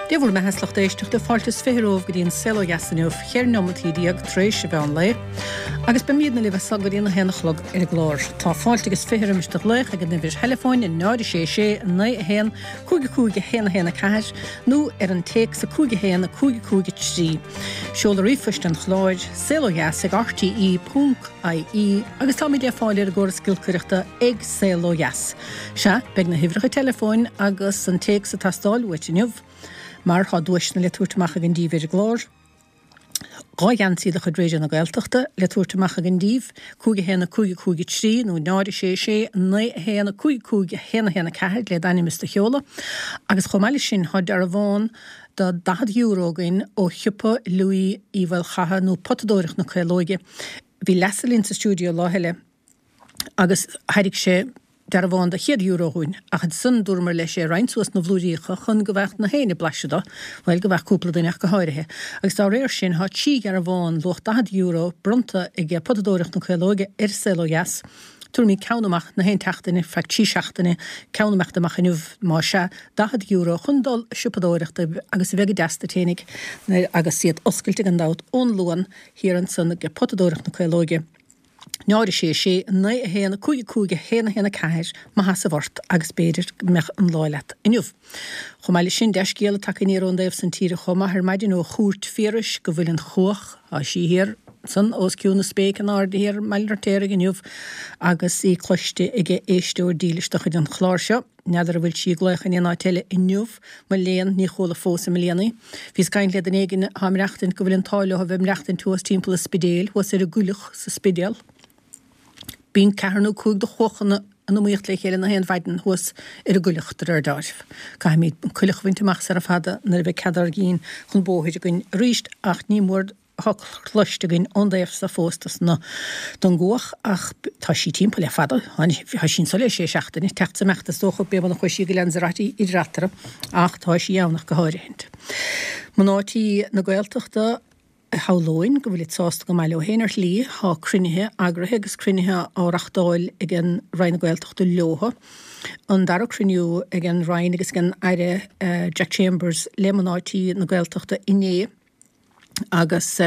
Dé bhur mbeatha 's lucht éisteachta, fáilte is 20 romhaibh go dtí an Saol Ó Dheas inniu, cheithre neomataí déag tar éis an mheán lae, agus beimídne libh as so go dtí an a haon a chlog ar an gclár. Tá fáilte agus 20 roimis do ghlaoch ag an uimhir theileafóin 0 6 6 9 1 5 5 1 1 4 nó ar an téacs 5 1 5 5 3. Seoladh ríomhphoist an chláir, saolodheas ag rte. ie agus táimid le fáil ar an gcóras giolcaireachta ag Saol Ó Dheas. Sea, beidh na huimhreacha teileafóin agus an téacs ag teastáil uait inniu, mar tá duaiseanna le tabhairt amach againn díbh ar an gclár. 2 gheansaí de chuid Raidió na Gaeltachta le tabhairt amach againn díbh, 5 1 5 5 3 nó 0 6 6 9 1 5 5 1 1 4 le d'ainm is do sheoladh. Agus chomh maith leis sin, tá dearbhán de €40 againn ó shiopa Louis Uí Mhaolchatha nó Potadóireacht na Caolóige. Bhí Leasa linn sa stiúideo lá eile agus thairg sé dearbhán de €100 dhúinn, ach ansan dúramar leis é a roinnt suas 'na bhlúiríocha chun go bhfaigheadh na héinne blaiseadh do, bhuel, go bhfaigheadh cúpla duine ach go háirithe. Agus dá réir sin, tá trí dhearbhán luach €40 bronnta ag Potadóireacht na Caolóige ar Saol Ó Dheas. Tabharfaimid ceann amach na haon tseachtain, feadh trí seachtaine, ceann imeacht amach inniu, más ea, €40 chun dul a siopadóireacht daoibh agus a bheith go deas duit fhéinig agus iad oscailte gan dabht ón Luan thiar ansan ag Potadóireacht na Caolóige, 0 6 6 9 1 5 5 1 1 4, maith as ort agus b'fhéidir go mbeadh an lá leat inniu. Chomh maith leis sin, dea-scéala tagtha aniar ón dtaobh san tíre chomh maith ar maidin ó Chúirt Phiarais go bhfuil an chuach, Tá sí thiar ansan os cionn na spéice in airde thiar i mBaile an Fheirtéaraigh inniu agus í cloiste ag éisteoir dílis de chuid an chláir seo. N'fheadar an bhfuil sí ag glaoch in aon áit eile inniu, mo léan, ní chuala fós i mbliana í. Bhíos ag caint le duine éigin atá ag maireachtaint go bhfuil an t-ádh leo a bheith ag maireachtaint thuas timpeall an Spidéil, thuas ar an gcoileach sa Spidéal. Bíonn ceathair nó cúig de chuachanna in iomaíocht le chéile na haon mhaidin thuas ar an gcoileach, de réir deáraimh. Caithfimid an coileach a bhaint amach sara fada nuair a bheidh cead ár gcinn chun bóthair againn arís ach ní mór atá cloiste againn ón dtaobh so fós dos na don gcuach ach tá sí timpeall le fada. Tá sí anso le sé seachtaine, teacht 's imeacht is dócha, b'é mar a chuaigh sí go Lanzarote idir eatarthu ach tá sí ann ach go háirithint. Mná tí na Gaeltachta. Shamhlóinn go bhfuilid sásta go maith leo féin ar shlí. Tá cruinnithe eagraithe agus cruinnithe á reachtáil ag an Roinn na Gaeltachta leothu. An dara cruinniú ag an Roinn agus ag an Aire Jack Chambers le mná tí na Gaeltachta inné agus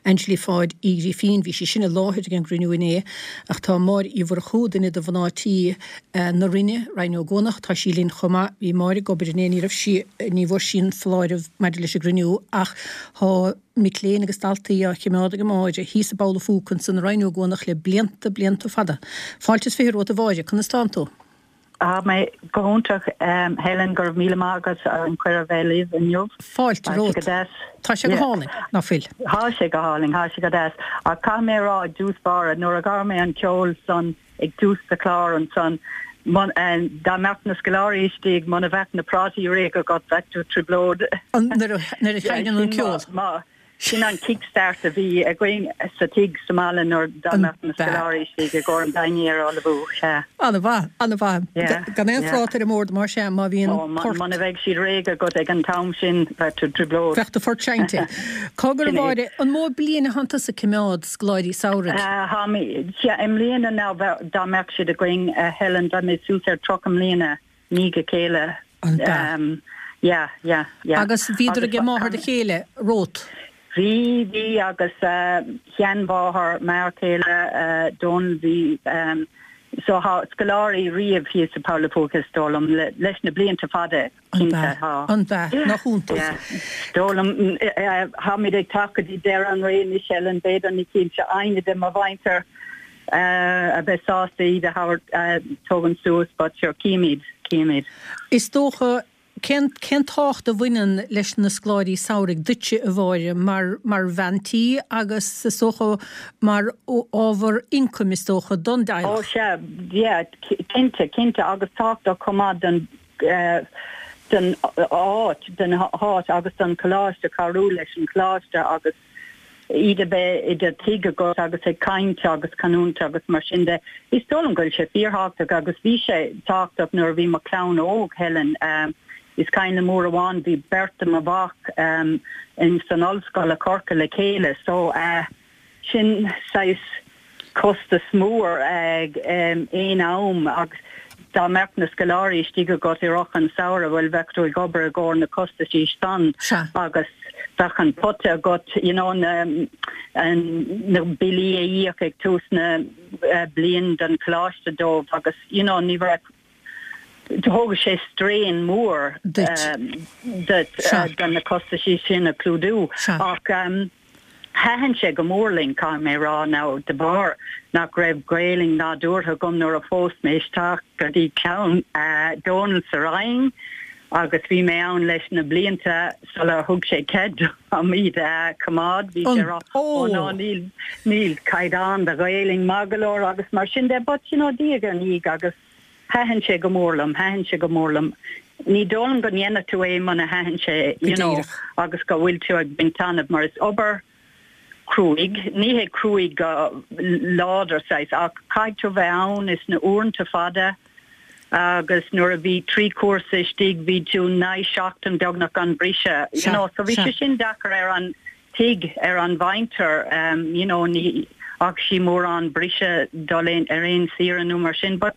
Angelie Pháid Uí Ghrifín, bhí sí sin i láthair ag an gcruinniú inné ach tá Máire Uí Mhurchú, duine de mhná tí na Roinne, Roinn na nÓgánach, tá sí linn chomh maith. Bhí Máire ag obair inné, ní raibh sí, ní bhfuair sí an foláireamh maidir leis an gcruinniú ach tá mic léinn agus daltaí á choimeád ag Máire thíos i bPoll a' Phúca ansan i Rinn Ó gCuanach le blianta, blianta fada. Fáilte is 20 romhat a Mháire, conas tánn tú? Tá mé go hiontach, Helen, go raibh míle maith agat as an cuireadh bheith libh inniu. Fáilte Tá sé romhat. go deas. Tá sé go hálainn, ná fuil? Tá sé go hálainn, tá sé go deas. Ach caithfidh mé a rá i dtús báire, nuair a chuala mé an ceol san ag tús do chlár ansan, dá mbeadh na scoláirí istigh, muna bheadh na prátaí réidh agat, bheadh tú i dtrioblóid. Nuair a sheinneann an ceol. Sin an kick-start a bhí againn sa tigh sa mbaile nuair dá mbeadh na scoláirí istigh i gcomhair an dinnéar a ullmhú. Sea. An-mhaith, an-mhaith. Gan aon phráta ar an mbord mar sea má bhíonn port. Muna bheidh siad réidh agat ag an t-am sin, bheadh tú i dtrioblóid. Bheadh do phort seinnte. Cá go raibh Máire, an mó bliain atánn tusa ag coimeád scoláirí samhraidh? Tá mé, sea, i mbliana now dá mbeadh siad againn, a Helen, bheadh mé suas ar 30 mbliana. ndiaidh a chéile. An b'ea? Yeah, yeah, yeah. Agus bhíodar ag máthair do chéile romhat? Bhí, bhí agus sheanmháthair m'fhear céile Donal, bhí so thá scoláirí riamh thíos i Poll a' Phúca is dóigh liom leis na blianta fada cinnte thá. An b'ea? Nach iontach. Yeah. Dóigh liom tháimid ag teacht go dtí deireadh an ré anois Helen b'fhéidir ní cinnte éinne de mo mhuintir a bheith sásta iad a thabhairt, tógaint suas but sure címid, címid. Is dócha, cén, cén tábhacht a bhaineann leis na scoláirí samhraidh duitse, a Mháire, mar, mar bhean tí agus is dócha mar ábhar ioncaim is dócha don dteaghlach? Ó sea, yeah, cinnte, cinnte agus tábhachtach chomh maith don, don áit, don áit agus don choláiste, cabhrú leis an choláiste agus iad a bheith i do tigh agat agus ag caint agus canúint agus mar sin de. Is dóigh liom go bhfuil sé fíorthábhachtach agus bhí sé tábhachtach nuair a bhí mo chlann óg, Helen. Is cuimhin liom uair amháin bhí beirt de mo mhac in san ollscoil i Corcaigh le chéile so sin saghas costas mór ag aon am agus. dá mbeadh na scoláirí istigh agat i rith an samhradh, bhuel, bheadh tú ag obair i gcomhair na costaisí san agus bheadh an pota agat, you know, na, na billí a íoc ag tús na bliain don choláiste dóibh agus, you know, ní bheadh, thógadh sé strain mór duit do na costaisí sin a clúdú ach thaitin sé go mór linn, caithfidh mé a rá, now de bharr nach raibh Gaelainn nádúrtha agam nuair a phós mé isteach go dtí clann Dónall sa Rinn agus bhí mé ann leis na blianta sular thug sé cead dom iad a choimeád, bhí sé ag rá ó no níl níl caighdeán do Ghaelainn maith go leor agus mar sin de but you know diaidh ar ndiaidh agus Thaitin sé go mór liom, thaitin sé go mór liom. Ní dóigh liom go ndéanfadh tú é muna thaitin sé, you know, agus go bhfuil tú ag baint taitneamh mar is obair cruaidh, ní hé cruaidh go láidir saghas ach caithfidh tú bheith ann is na uaireanta fada agus nuair a bhí 3 cúrsa istigh bhí tú 9 seachtain beagnach gan briseadh, you know, so bhí sé sin deacair ar an tigh, ar an mhuintir, you know, ní fhaca sí mórán briseadh dul ar aon saoire nó mar sin but,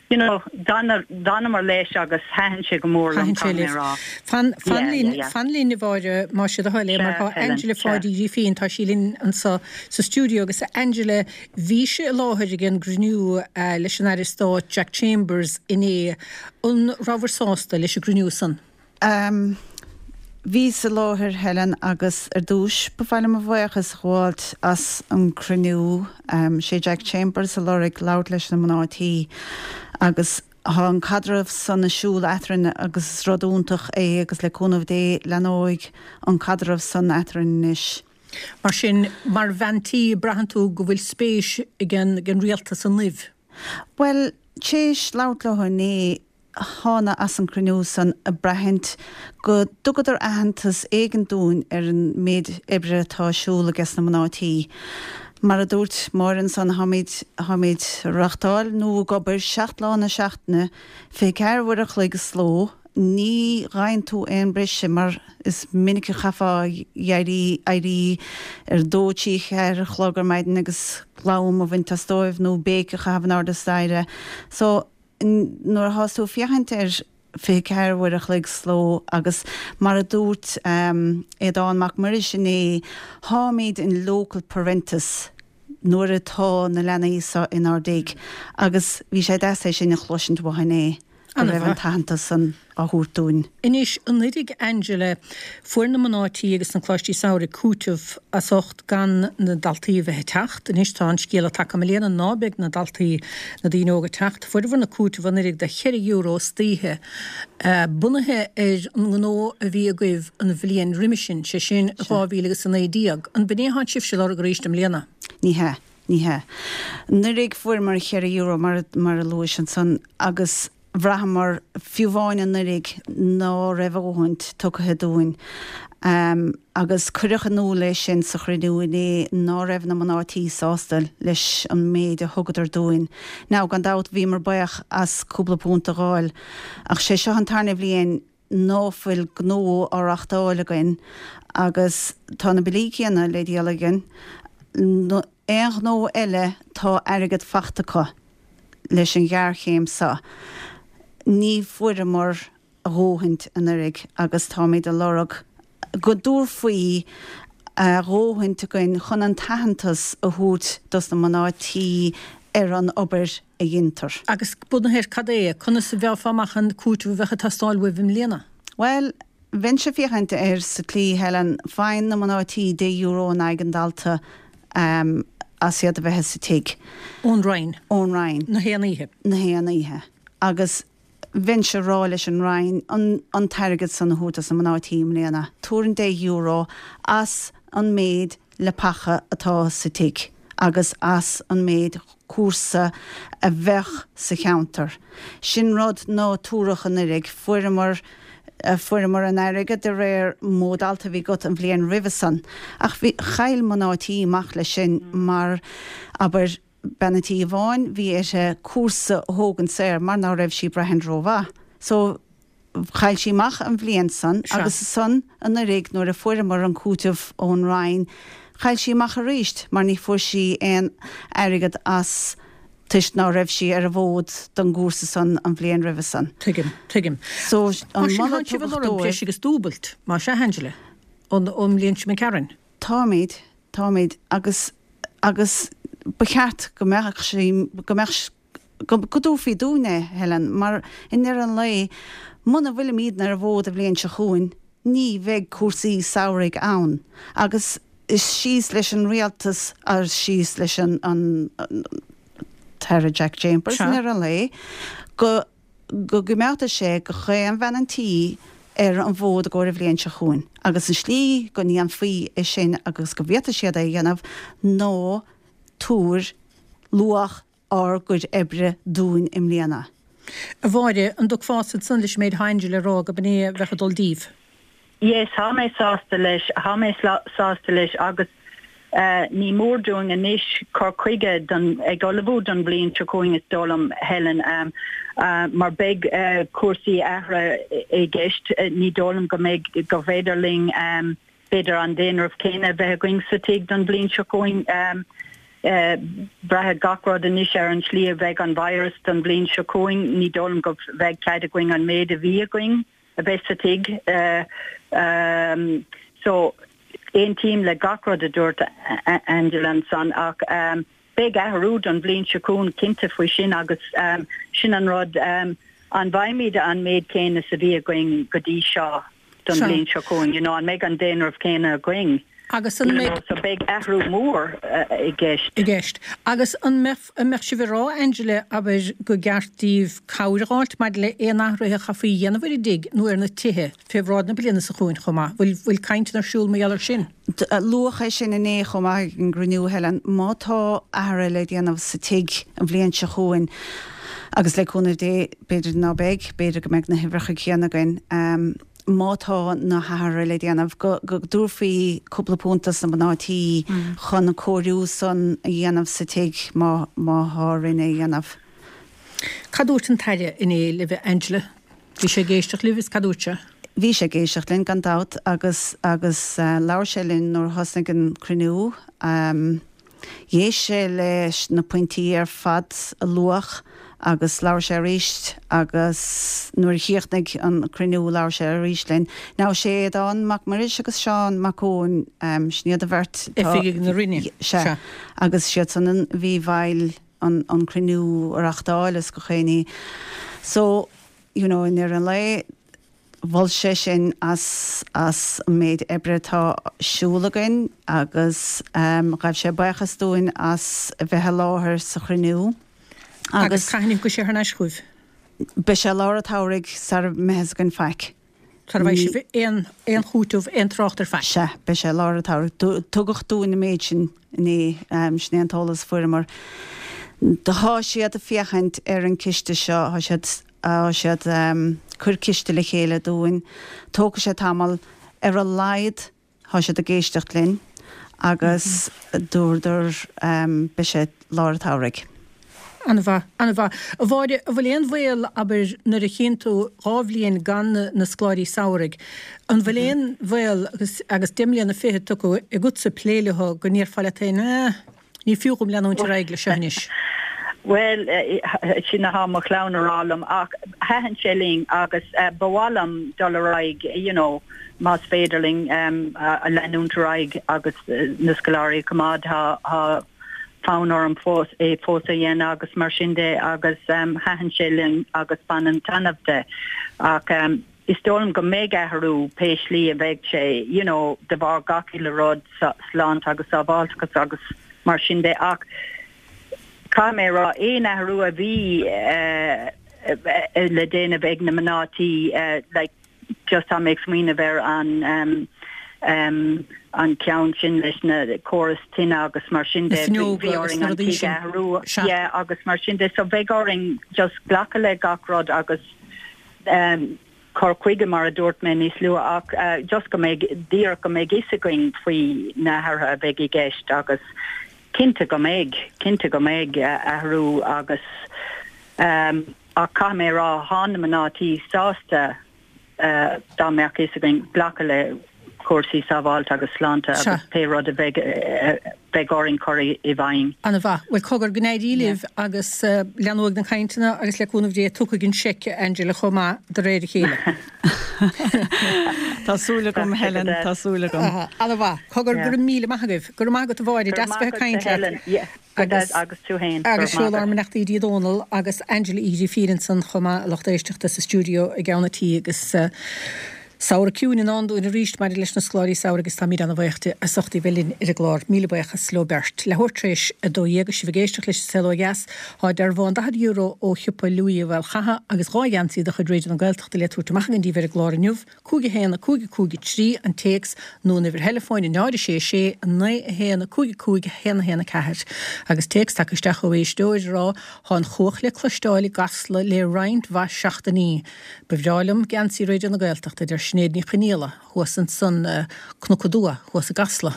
you know, d'fhanamar leis agus thaitin sé go mór liom, caithfidh mé a rá. Fan, fan linn, fan linn a Mháire, más é do thoil é, mar tá Angela Pháidí Uí Ghrífín, tá sí linn anseo sa stiúideo agus Angela, bhís i láthair ag an gcruinniú leis an Aire Stáit Jack Chambers inné, an rabhabhair sásta leis an gcruinniú san? Bhíos i láthair, Helen, agus ar dtúis ba mhaith liom mo bhuíochas a ghabháilt as an gcruinniú. Sé Jack Chambers a lorg labhairt leis na mná tí agus tá an caidreamh san ag siúl eatrainn agus is rud iontach é agus le cúnamh Dé leathnóidh an caidreamh san eatrainn anois. Mar sin, mar bhean tí, braitheann tú go bhfuil spéis ag an rialtas ionaibh? Bhuel, théis labhairt leo inné, thána as an cruinniú san ag braithint go dtugadar aitheantas éigin dúinn ar an méid oibre atá ar siúl ages na mná tí. Mar a dúirt Máire ansan, táimid, táimid ag reachtáil nó ag obair 7 lá na seachtaine, 24 uair a chloig sa ló, ní fhaigheann tú aon briseadh mar is minic a chaithfeá éirí, éirí ar dó, trí, cheathair a chlog ar maidin agus glam a bhaint as dóibh nó béic a chaitheamh in airde staighre. So, nuair athás tú ag féachaint ar 24 uair a chloig sa ló agus mar a dúirt Aodán Mac Muiris inné, táimid in loco parentis nuair atá na leanaí seo inár dtigh agus bhí sé deas é sin a chloisint uathu inné, go raibh an t-aitheantas san á thabhairt dúinn. Anois, anuraidh Angela, fuair na mná tí agus na coláistí samhraidh cúiteamh as ucht gan na daltaí a bheith ag teacht. Anois tá an scéala tagtha i mbliana ná beidh na daltaí, na daoine óga ag teacht. Fuaireabhair na cúiteamh anuraidh de cheithre euro istoíche, bunaithe ar an ngnó a bhí agaibh an bhliain roimis sin, sé sin 2019. An b'in é atánn sibhse ag lorg arís i mbliana? Ní hea. Ní hea. Anuraidh fuaireamar cheithre euro mar a luais ansan agus bhraitheamar, fiú amháin anuraidh, ná raibh a dhóthaint tugtha dúinn. Agus cuireadh in iúl é sin sa chruinniú inné ná raibh na mná tí sásta leis an méid a thugadar dúinn. Now, gan dabht, bhíomar buíoch as cúpla punt a dh'fháil, ach sé seo an tarna bhliain ná fuil gnó á reachtáil againn agus tá na billí céanna le díol againn. Aon ghnó eile tá airgead fachta acu leis an ghéarchéim seo. Ní fuaireamar a dhóthaint anuraidh agus táimid ag lorg go dtabharfaí a dhóthaint againn chun an t-aitheantas a thabhairt dos na mná tí ar an obair a dheintear. Agus bunaithe ar cad é, conas a bhfaighfeá amach an cúiteamh a bheadh ag teastáil uaibh i mbliana? Bhuel, bheinnse ag féachaint air sa tslí, Helen, faigheann na mná tí deich euro in aghaidh an dalta as iad a bheith sa tigh. Ón Roinn. Ón Roinn. Na haon oíche. Na haon oíche. Agus bheinnse ag rá leis an Roinn an t-airgead san a thabhairt dos na mná tí i mbliana. Tabhair an deich euro as an méid leapacha atá sa tigh agus as an méid cúrsa a bheadh sa cheantar. Sin rud ná tabhradh anuraidh. Fuaireamar, fuaireamar an airgead de réir mó dalta a bhí agat an bhliain roimhe san. Ach bhí, chaill mná tí amach leis sin mar, abair, bean an tí amháin, bhí uirthi cúrsa a thógaint saor mar ná raibh sí ag braithint rómhaith. So, chaill sí amach an bhliain san agus ansan anuraidh nuair a fuaireamar an cúiteamh ón Roinn, chaill sí amach aríst mar ní fuair sí aon airgead as. Toisc ná raibh sí ar an bhfód don gcúrsa san an bhliain roimhe san. Tuigim, tuigim. So, an Mar sin, moladh tánn sibh ag tugadh lorg dóibh. breis agus dúbailt, más ea, Angela, ón, ón mbliain seo imigh tharainn? Táimid, táimid, agus, agus ba cheart go mbeadh sí, go mbeadh, go, go dtabharfaí dúinn é, Helen, mar i ndeireadh an lae, muna bhfuilimídne ar an bhfód an bhliain seo chugainn, ní bheidh cúrsaí samhraidh ann agus is síos leis an rialtas agus síos leis an an tAire Jack Chambers i ndeireadh an lae go go gcoimeádfaidh sé gach aon bhean an tí ar an bhfód i gcomhair an bhliain seo chugainn agus an slí go ndéanfaí é sin agus go bhféadfaidh siad é a dhéanamh ná tabhair luach ár gcuid oibre dúinn i mbliana. A Mháire, an dtiocfása ansan leis an méid atá Angela a rá go b'in é a bheadh ag dul díbh? Yes, thá mé sásta leis, thá mé sásta leis agus ní mór dúinn anois cur chuige don, ag ullmhú don bhliain seo chugainn is dóigh liom, Helen, mar beidh cúrsaí athraithe i gceist, ní dóigh liom go mbeidh, go bhféidir linn b'fhéidir an daonramh céanna a bheith againn sa tigh don bhliain seo chugainn. Braithfidh gach rud anois ar an slí a bheidh an virus don bhliain seo chugainn. Ní dóigh liom go bheidh cead againn an méid a bhí againn a bheith sa tigh. So, aontaím le gach rud a dúirt Angela ansan ach beidh athrú don bhliain seo chugainn cinnte faoi sin agus sin an rud, an bhfaighimid an méid céanna is a bhí againn go dtí seo? don bhliain seo chugainn, you know, an mbeidh an daonramh céanna againn? Agus an mbeidh. So beidh athrú mór i gceist. I gceist. Agus an mbeadh, an mbeadh sibh ag rá, Angela, abair, go gceart daoibh cabhair a dh'fháilt maidir le aon athruithe a chaithfí a dhéanamh ar an dtigh nó ar na tithe fé bhráid na bliana seo chugainn chomh maith? Bhfuil, bhfuil cainteanna ar siúl mar gheall air sin? Luadh é sin inné chomh maith ag an gcruinniú, Helen. Má tá athruithe le déanamh sa tigh an bhliain seo chugainn, agus le cúnamh Dé, b'fhéidir ná beidh, b'fhéidir go mbeidh na huimhreacha céanna againn, má tá na hathruithe le déanamh, go dtabharfaí cúpla punt dos na mná tí chun an cóiriú san a dhéanamh sa tigh má má thá orainn é a dhéanamh. Cad dúirt an tAire inné libh, Angela? Bhí sé ag éisteacht libh is cad dúirt sé? Bhí sé ag éisteacht linn gan dabht agus agus labhair sé linn nuair a thosnaigh an cruinniú. D'éist sé leis na pointí ar fad a luadh agus labhair sé arís agus nuair a chríochnaigh an cruinniú labhair sé arís linn. Now sé Aodán Mac Muiris agus Seán Mac Eoin, sin iad an bheirt atá. Oifigigh na Roinne. Sea. Agus siad san a bhí i bhfeighil an cruinniú a reachtáil is gach aon ní. So, you know, i ndeireadh an lae, Mhol sé sinn as as an méid oibre atá ar siúl againn agus ghabh sé buíochas dúinn as a bheith i láthair sa chruinniú Agus cathain a thiocfaidh sé thar n-ais chugaibh? Beidh sé lár an tsamhraidh sara mbeidh fhios againn faic. Sara bhfaighidh sibh aon aon chúiteamh, aon trácht ar faic? Sea, beidh sé lár an tsamhraidh. Tugadh dúinn an méid sin inné, sin é an t-eolas a fuaireamar. Tá siad ag féachaint ar an ciste seo, tá siad. Tá siad cur ciste le chéile dúinn. Tógfaidh sé tamall. Ar a laghad tá siad ag éisteacht linn agus dúradar beidh sé lár an tsamhraidh. An-mhaith, an-mhaith. A Mháire, an bhfuil aon bhaol, abair, nuair a chíonn tú 2 bhliain gan na scoláirí samhraidh, an bhfuil aon bhaol agus agus 10 mbliana fichead tugtha agatsa plé leo go ndéarfá leat féin, eh, Ní fiú dhom leanúint ar aghaidh leis seo anois. Bhuel, sin athá mo chlann a rá liom ach thaitin sé linn agus ba mhaith liom dul ar aghaidh, you know, más féidir linn leanúint ar aghaidh agus na scoláirí a choimeád, tá fonn orm fós é fós a dhéanamh agus mar sin de agus thaitin sé linn agus bainim taitneamh de ach Is dóigh liom go mbeidh athrú, pé slí a bheidh sé, you know, de bharr gach uile rud, sláinte agus sábháilteachas agus mar sin de ach caithfidh mé a rá, aon athrú a bhí le déanamh ag na mná tí, like, just tá mé ag smaoineamh ar an an ceann sin leis na córas tine agus mar sin de, bhí orainn an tigh a athrú, yeah, agus mar sin de, so bheidh orainn just glacadh le gach rud agus cur chuige, mar a dúirt mé níos luaithe, ach just go mbeidh, díreach go mbeidh fhios againn faoi na hathruithe a bheidh i gceist agus cinnte go mbeidh, cinnte go mbeidh athrú agus ach caithfidh mé a rá, thá na mná tí sásta dá mbeadh fhios againn glacadh le. cúrsaí sábháilte agus sláinte agus pé rud a bheidh bheidh orainn cur i bhfeidhm. Ana mhaith. Bhuel cogar, go n-éirí libh agus leanóidh na cainteanna agus le cúnamh Dé tiocfaidh an seic, a Angela, chomh maith de réir a chéile. Tá súil agam, Helen, tá súil agam. Ana mhaith. Cogar, go raibh míle maith agaibh. Go raibh maith agat a Mháire, deas bheith ag caint leat. Agus agus tú féin. Agus sheol ár mbeannachtaí go dtí Dónal agus Angela Uí Ghrifín ansan chomh maith, a lucht éisteachta sa stiúideo i gceann an tí agus samhradh ciúin i ndán dúinn arís maidir leis na scoláirí samhraidh agus táimid ana-bhuíoch di as ucht í bheith linn ar an gclár. Míle buíochas leo beirt. Leathuair tar éis 12 agus sibh ag éisteacht leis An Saol Ó Dheas, tá dearbhán €40 ó shiopa Louis Uí Mhaolchatha agus 2 gheansaí de chuid Raidió na Gaeltachta le tabhairt amach againn daoibh ar an gclár inniu. 5 1 5 5 3 an téacs nó an uimhir theileafóin 0 6 6 9 1 5 5 1 1 4 Agus téacs tagtha isteach ó éisteoir ag rá Tá an chuach le cloisteáil i gCasla le roinnt mhaith seachtainí. Ba bhreá liom geansaí Raidió na Gaeltachta, a deir Sinéad Ní Chonaola, thuas ansan Cnoc Aduaidh, thuas i gCasla.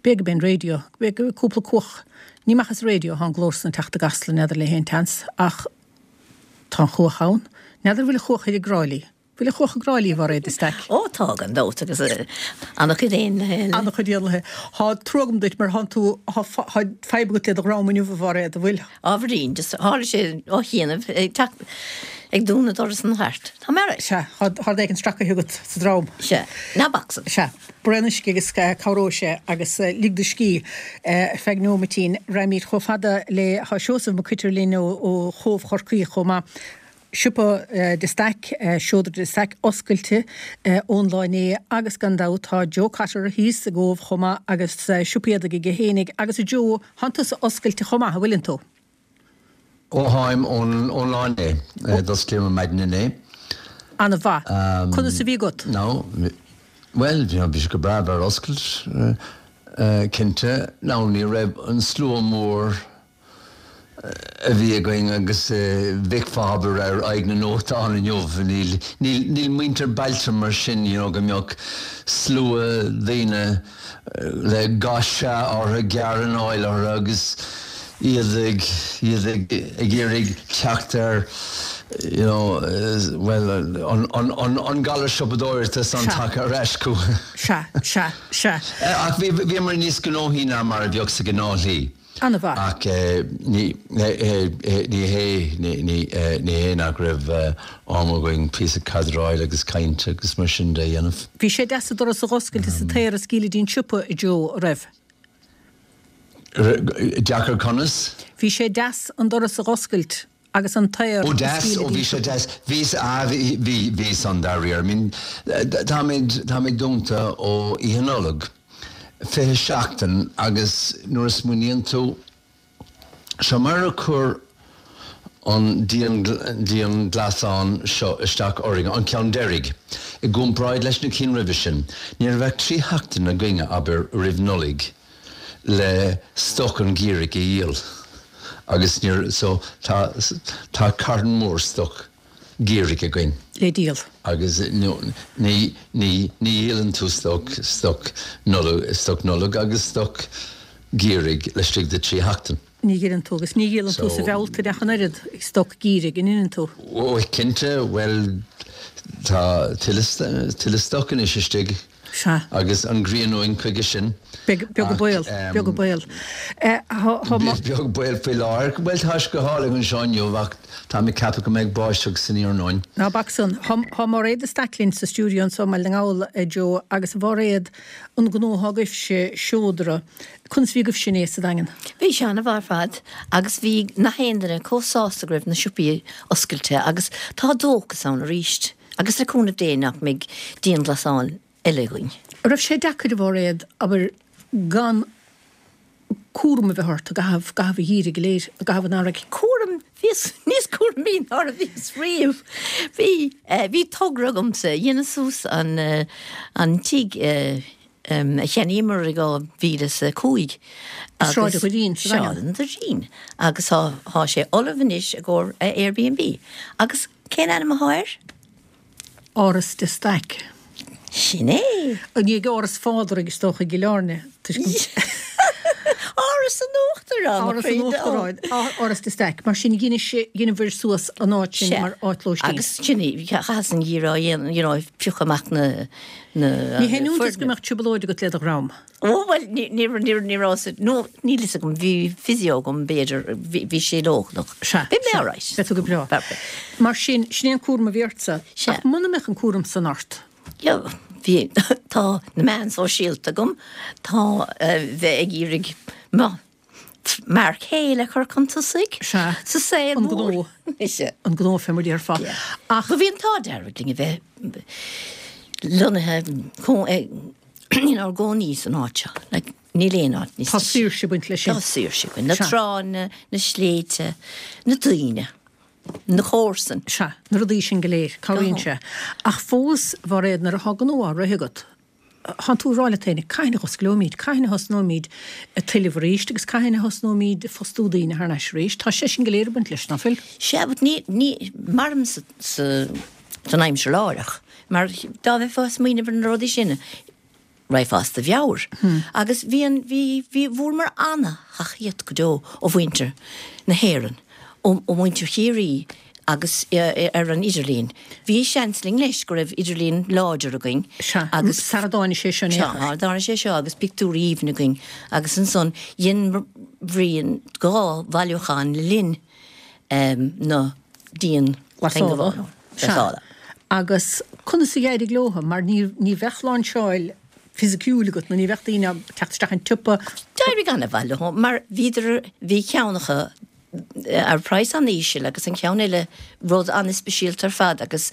B'fhéidir gurb é an raidió, b'fhéidir cúpla cuach. Ní amach as an raidió atá an glór san ag teacht i gCasla, n'fheadar le haon tseans, ach tá an chuach ann. N'fheadar bhfuil an chuach thoir i dTrá Lí. Bhfuil an chuach i dTrá Lí, a Mhairéad de Staic? Ó tá, gan dabht, agus ana-chuid éanlaithe eile. Ana-chuid éanlaithe. Tá trua agam duit mar thánn tú, tá fadhb agat le do dhrom inniu, a Mhairéad, an bhfuil? Ábhairín, just tharla sé ó chianaibh ag teacht, ag dúnadh doras an chairt. Tá mé alright. Sea, tá rud éigin stracaithe agat sa drom. Sea, ná bac san. Sea, braon uisce agus cabhróidh sé agus lig do scíth ar feadh neomaitín. Raghaimid chomh fada le, tá Seosamh Mac Coitir linn ó Chóbh Chorcaí chomh maith. Siopa de Staic, Seodra de Staic oscailte ón lá inné agus gan dabht tá Joe Cotter thíos i gCóbh chomh maith agus siopa éadaigh aige fhéinig agus a Joe, thánn tusa oscailte chomh maith, an bhfuileann tú? Ó tháim, ón lá inné. D'osclaíomar maidin inné. Ana mhaith. Conas a bhí agat? Now, bhuel, bhí sé go breá bheith ar oscailt, cinnte. Now, ní raibh an slua mór a bhí againn agus bhfeicfeá abair ar aghaidh na ndóiteán inniu. Níl, níl, níl muintir bailte mar sin, you know, go mbeadh slua daoine le ga sea orthu, gearranáil orthu agus iad ag, iad ag, ag iarraidh teacht ar, you know, bhuel, an, an, an, an galar siopadóireachta san tagtha ar ais chucu. Sea, sea, sea. Ach bhí, bhíomar níos gnóthaí ná mar a bheadh sa ghnáthshlí. An-mhaith. Ach ní hé, ní hé nach raibh am againn píosa cadráil agus cainte agus mar sin de a dhéanamh. Bhí sé deas an doras a dh'oscailt is an t-aer a scaoileadh dtí'n siopa, a Joe, a' raibh? Deacair conas? Bhí sé deas an doras a dh'oscailt agus an t-aer Ó deas, ó bhí sé deas, bhí, ah bhí, bhí, bhí san dáiríre. I mean, táimid, táimid dúnta ó Oíche Nollag, 20 seachtain agus nuair a smaoiníonn tú, seo mar a chuir an dianghlasáil seo isteach orainn, an ceann deiridh, i gcomparáid leis na cinn roimhe sin, ní raibh ach 3 sheachtain againne, abair, roimh Nollaig. le stoc an gheimhridh a dhíol agus níor so tá tá carn mór stoc geimhridh againn. le díol. Agus ní ní ní dhíolann tú stoc stoc Nollag stoc Nollag agus stoc geimhridh laistigh de 3 sheachtain. Ní dhíolann tú agus ní dhíolann tú sa Bhealtaine ach an oiread stoc geimhridh, an ndeineann tú? Ó cinnte, bhuel tá tuilleadh tuilleadh stoc anois istigh. Sea. Agus an ghrian uainn chuige sin. Beag an baol, beag an baol. Beag baol faoi láthair. Bhuel, tá sé go hálainn anseo inniu ach táim ag ceapadh go mbeidh báisteach san iarnóin. Ná bac san. Tá Máiréad de Staic linn sa stiúideo anseo i mBaile na nGall, a Joe, agus a Mháiréad, an gnó atá agaibhse, Seodra, conas a bhí agaibhse inné sa Daingean? Bhí sé an-mhaith ar fad agus bhí nach aon duine chomh sásta go raibh na siopaí oscailte agus tá dóchas ann arís. Agus le cúnamh Dé nach mbeidh dianghlasáil eile againn. An raibh sé deacair, a Mháiréad, abair, gan cúram a bheith ort i gcaitheamh, gcaitheamh an gheimhridh go léir, i gcaitheamh an earraigh? Cúram? Bhíos níos cúramaí ná a bhíos riamh. Bhí, bhí togra agamsa, dheineas suas an, an tigh a cheannaíomar i 2005 agus. Sráid an Doirín sa Daingean. Sráid an Doirín. Agus tá, tá sé ullamh anois i gcomhair Airbnb. Agus Cén ainm athá air? Áras de Staic. Sin é! I ndiaidh Áras Phádraig is dócha i gCill Airne, toisc go. Áras an Uachtaráin, Áras an Uachtaráin, Áras de Staic. Mar sin dheineabhair suas an áit sin mar áit lóistín. Agus sin í, chaitheas an geimhreadh á dhéanamh, you know, ag piocadh amach na, na. Ní haon iontas go mbeadh trioblóid agat le do dhrom. Ó, bhuel, ní, ní, ní, ní raibh sa, nó níl fhios agam, bhí physio agam, b'fhéidir, bhí, bhí sé leochaileach. Sea, Bhí mé sea, alright. beidh tú go breá. Mar sin, sin é an cúram a bhí ortsa. Sea. Ach muna mbeadh an cúram san ort? Yeah, bhí, tá na meáin sóisialta agam, tá bheith ag iarraidh mo Mark Hale a chur chun tosaigh Sea, sa saol an mór. gnó. Sea. An gnó fé mar a déarfá. Yeah. Ach. Bhí an t-ádh dearg linn a bheith lonnaithe inár gcónaí san áit seo. Like, níl aon áit níos Tá saoirse ag baint leis sin. Tá saoirse ag baint. Na Sea. tránna, na sléibhte, na daoine. na comharsain. Sea, na rudaí sin go léir, cabhraíonn sé. Ach fós, a Mhairéad, nuair atá gnó á rith agat, tánn tú ag rá leat féin, cathain a dh'osclóimid, cathain a thosnóimid ag tuilleamh arís agus cathain a thosnóimid ag fostú daoine thar n-ais arís. Tá sé sin go léir ag baint leis, ná fuil? Sea, but ní, ní, mairim sa, sa, san aimsir láithreach, mar dá mbeifeá ag smaoineamh ar na rudaí sin, Raghfá as do mheabhair. Agus bhí an, bhí, bhí, bhfuaireamar ana-thacaíocht go deo ó mhuintir na hÉireann, ó, ó mhuintir Chiarraí agus ar an idirlíon. Bhí seans linn leis go raibh idirlíon láidir againn Sea, agus. sara dtáinig sé seo in Sea, aon chor. sara dtáinig sé seo agus pictiúirí aoibhinn againn agus ansan dhein Bhrian 2 bhailiúchán le linn na dianghlasála. Glasála. Sea. Agus conas a d'éirigh leo? Mar ní ní bheadh láinseáil fisiciúil agat nó ní bheadh daoine ag teacht isteach an tsiopa. D'éirigh an-mhaith leo mar bhíodar, bhí ceann acu ar praghas an-íseal agus an ceann eile rud an-speisialta ar fad agus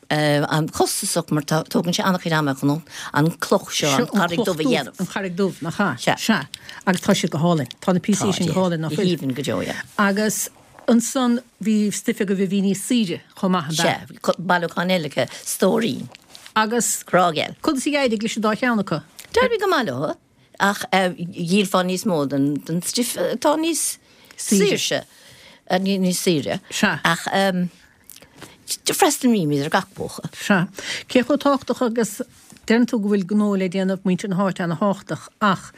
an-chostasach mar tá, tógann sé an-chuid ama chun an cloch seo, an charraig dubh a dhéanamh. An charraig dubh, nach ea? Sea. Sea. Agus tá siad go hálainn. Tá na píosaí sin go hálainn, nach Go bhfuil? haoibhinn go deo, yeah. Agus ansan bhí stuif agaibh a bhí níos saoire chomh maith, ab Sea, ea? bhí bailiúchán eile acu, Stóirín. Agus Grá geal. conas a d'éirigh leis an dá cheann acu? D'éirigh go maith leo. Ach dhíolfá níos mó den stuif atá níos saoirse, níos saoire. Sea. Ach freastalaímid ar gach póca. Sea. Cé chomh tábhachtach agus deireann tú go bhfuil gnó le déanamh, muintir na háite ana-thábhachtach, ach